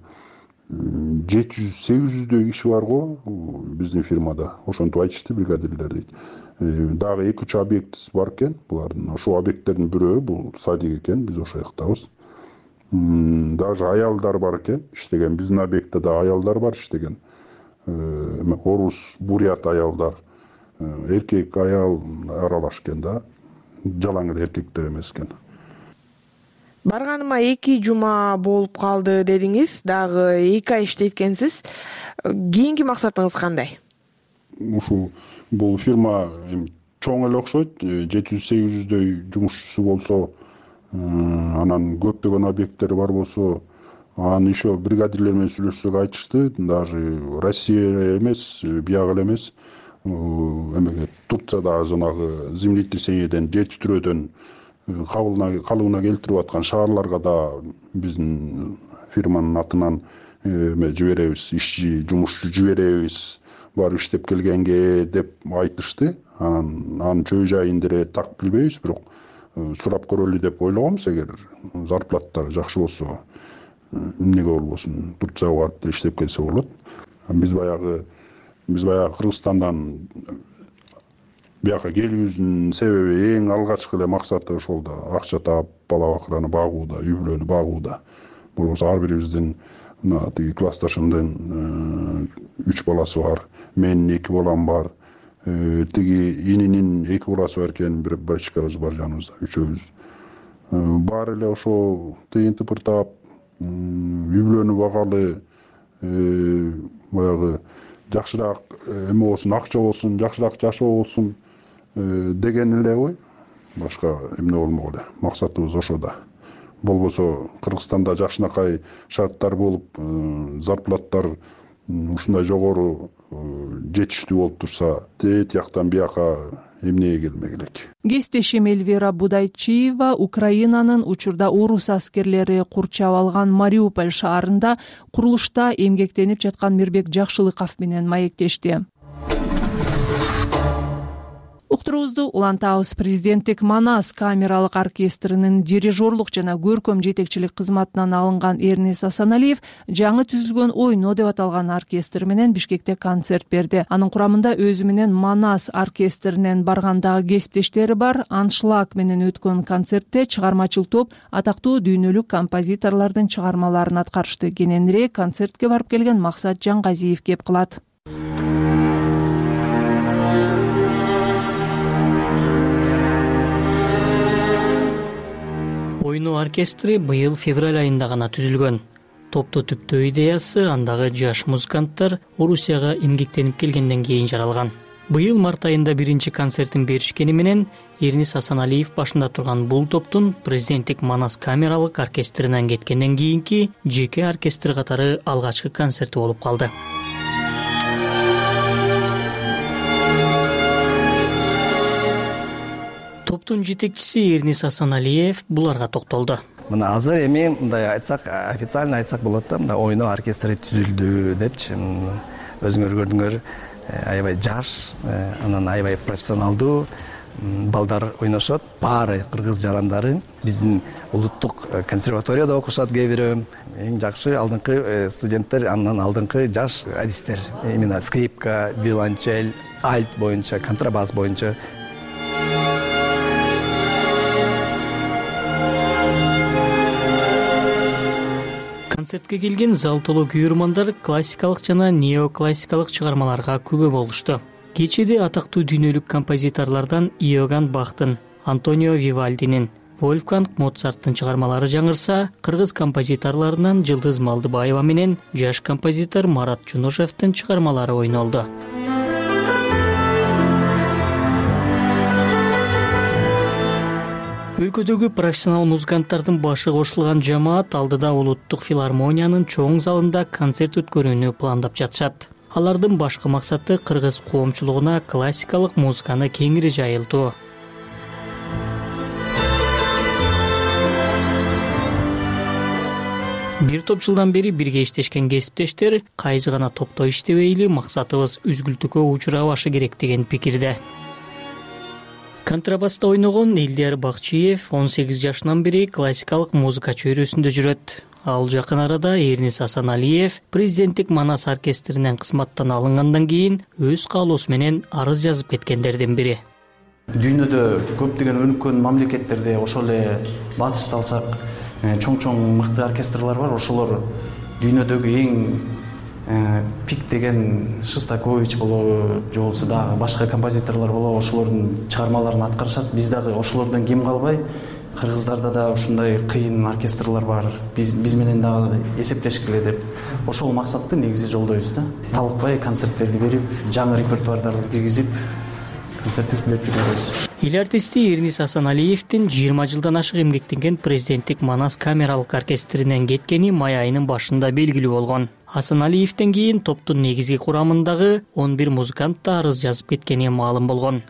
жети жүз сегиз жүздөй киши бар го биздин фирмада. Ошентип айтышты бригадирлер дейт. Дагы эки үч объект бар экен булардын. Ошол объекттердин бирөө бул садик экен, биз ошол жактабыз. Даже аялдар бар экен, иштеген. Биздин объектте да аялдар бар иштеген. Орус, бурят аялдар, эркек, аял аралаш экен да. Жалаң эле эркектер эмес экен. Барганыма эки жума болуп калды дедиңиз, дагы эки ай иштейт экенсиз. Кийинки максатыңыз кандай? ушул бул фирма эми чоң эле окшойт, жети жүз сегиз жүздөй жумушчусу болсо, анан көптөгөн объекттери бар болсо, аны еще бригадирлер менен сүйлөшсөк айтышты, даже Россия эмес, бияк эле эмес, эмеге Турциядагы жанагы землетрясениеден, жер титирөөдөн калыбына келтирип аткан шаарларга да биздин фирманын атынан эме жиберебиз, ишчи, жумушчу жиберебиз, барып иштеп келгенге деп айтышты. Анан анын чөй жайын деле так билбейбиз, бирок сурап көрөлү деп ойлогонбуз. Эгер зарплаттары жакшы болсо, эмнеге болбосун, Турцияга барып деле иштеп келсе болот. Биз баягы биз баягы Кыргызстандан бияка келүүбүздүн себеби, эң алгачкы эле максаты ошол да акча таап, бала бакыраны багууда, үй бүлөнү багууда. Болбосо ар бирибиздин мына тиги классташымдын үч баласы бар, менин эки балам бар, тиги ининин эки баласы бар экен, бир братчикабыз бар жаныбызда, үчөөбүз. Баары эле ошо тыйын тыпыртап, үй бүлөнү багалы, баягы жакшыраак эме болсун, акча болсун, жакшыраак жашоо болсун деген эле ой. Башка эмне болмок эле. Максатыбыз ошо да. Болбосо Кыргызстанда жакшынакай шарттар болуп, зарплаттар ушундай жогору жетиштүү болуп турса, тет жактан бияка эмнеге келмек элек. Кесиптешим Эльвира Будайчиева Украинанын учурда орус аскерлери курчап алган Мариуполь шаарында курулушта эмгектенип жаткан Мирбек Жакшылыков менен маектешти. Уктуруубузду улантабыз. Президенттик Манас камералык оркестринин дирижерлук жана көркөм жетекчилик кызматынан алынган Эрнис Асаналиев жаңы түзүлгөн ойно деп аталган оркестр менен Бишкекте концерт берди. Анын курамында өзү менен Манас оркестринен баргандагы кесиптештери бар. Аншлаг менен өткөн концертте чыгармачыл топ атактуу дүйнөлүк композиторлордун чыгармаларын аткарышты. Кененирээк концертке барып келген Максат Жаңгазиев кеп кылат. Ойно оркестри быйыл февраль айында гана түзүлгөн. Топту түптөө идеясы андагы жаш музыканттар Орусияга эмгектенип келгенден кийин жаралган. Быйыл март айында биринчи концертин беришкени менен Эрнис Асаналиев башында турган бул топтун президенттик Манас камералык оркестринен кеткенден кийинки жеке оркестр катары алгачкы концерти болуп калды. Топтун жетекчиси Эрнис Асаналиев буларга токтолду. Мына азыр эми мындай айтсак, официально айтсак болот да, мына ойно оркестри түзүлдү депчи. Өзүңөр көрдүңөр, аябай жаш, анан аябай профессионалдуу балдар ойношот. Баары кыргыз жарандары, биздин улуттук консерваторияда окушат кээ бирөө. Эң жакшы алдыңкы студенттер, андан алдыңкы жаш адистер. Именно скрипка, виолончель, альт боюнча, контрабас боюнча. Концертке келген зал толо күйөрмандар классикалык жана неоклассикалык чыгармаларга күбө болушту. Кечеде атактуу дүйнөлүк композиторлордон Иоганн Бахтын, Антонио Вивальдинин, Вольфганг Моцарттын чыгармалары жаңырса, кыргыз композиторлорунан Жылдыз Малдыбаева менен жаш композитор Марат Жунушевдин чыгармалары ойнолду. Өлкөдөгү профессионал музыканттардын башы кошулган жамаат алдыда улуттук филармониянын чоң залында концерт өткөрүүнү пландап жатышат. Алардын башкы максаты кыргыз коомчулугуна классикалык музыканы кеңири жайылтуу. Бир топ жылдан бери бирге иштешкен кесиптештер кайсы гана топто иштебейли, максатыбыз үзгүлтүккө учурабашы керек деген пикирде. Контрабаста ойногон Элдияр Бакчиев он сегиз жашынан бери классикалык музыка чөйрөсүндө жүрөт. Ал жакын арада Эрнис Асаналиев президенттик Манас оркестринен кызматтан алынгандан кийин өз каалоосу менен арыз жазып кеткендердин бири. Дүйнөдө көптөгөн өнүккөн мамлекеттерде ошол эле батышты алсак, чоң-чоң мыкты оркестрлар бар. Ошолор дүйнөдөгү эң пик деген Шостакович болобу, же болбосо дагы башка композиторлор болобу, ошолордун чыгармаларын аткарышат. Биз дагы ошолордон кем калбай, кыргыздарда да ушундай кыйын оркестрлар бар, биз биз менен дагы эсептешкиле деп ошол максатты негизи жолдойбуз да. Талыкпай концерттерди берип, жаңы репертуардарды киргизип, концертибизди берип жүрөбүз. Эл артисти Эрнис Асаналиевдин жыйырма жылдан ашык эмгектенген президенттик Манас камералык оркестринен кеткени май айынын башында белгилүү болгон. Асаналиевден кийин топтун негизги курамындагы он бир музыкант да арыз жазып кеткени маалым болгон.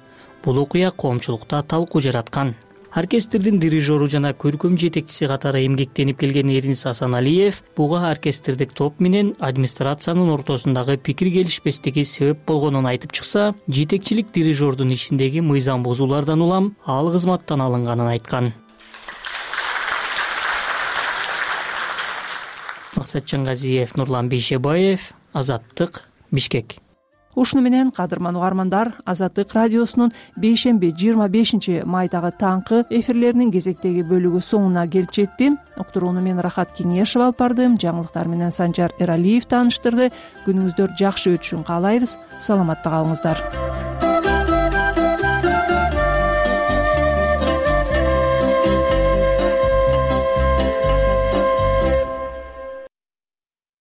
Бул окуя коомчулукта талкуу жараткан. Оркестрдин дирижеру жана көркөм жетекчиси катары эмгектенип келген Эрнис Асаналиев буга оркестрдик топ менен администрациянын ортосундагы пикир келишпестиги себеп болгонун айтып чыкса, жетекчилик дирижердун ишиндеги мыйзам бузуулардан улам ал кызматтан алынганын айткан. Максат Чангазиев, Нурлан Бейшебаев, Азаттык, Бишкек. Ушуну менен кадырман угармандар, Азаттык радиосунун бейшемби жыйырма бешинчи майдагы таңкы эфирлеринин кезектеги бөлүгү соңуна келип жетти. Уктурууну мен Рахат Кеңешев алып бардым. Жаңылыктар менен Санжар Эралиев тааныштырды. Күнүңүздөр жакшы өтүшүн каалайбыз. Саламатта калыңыздар.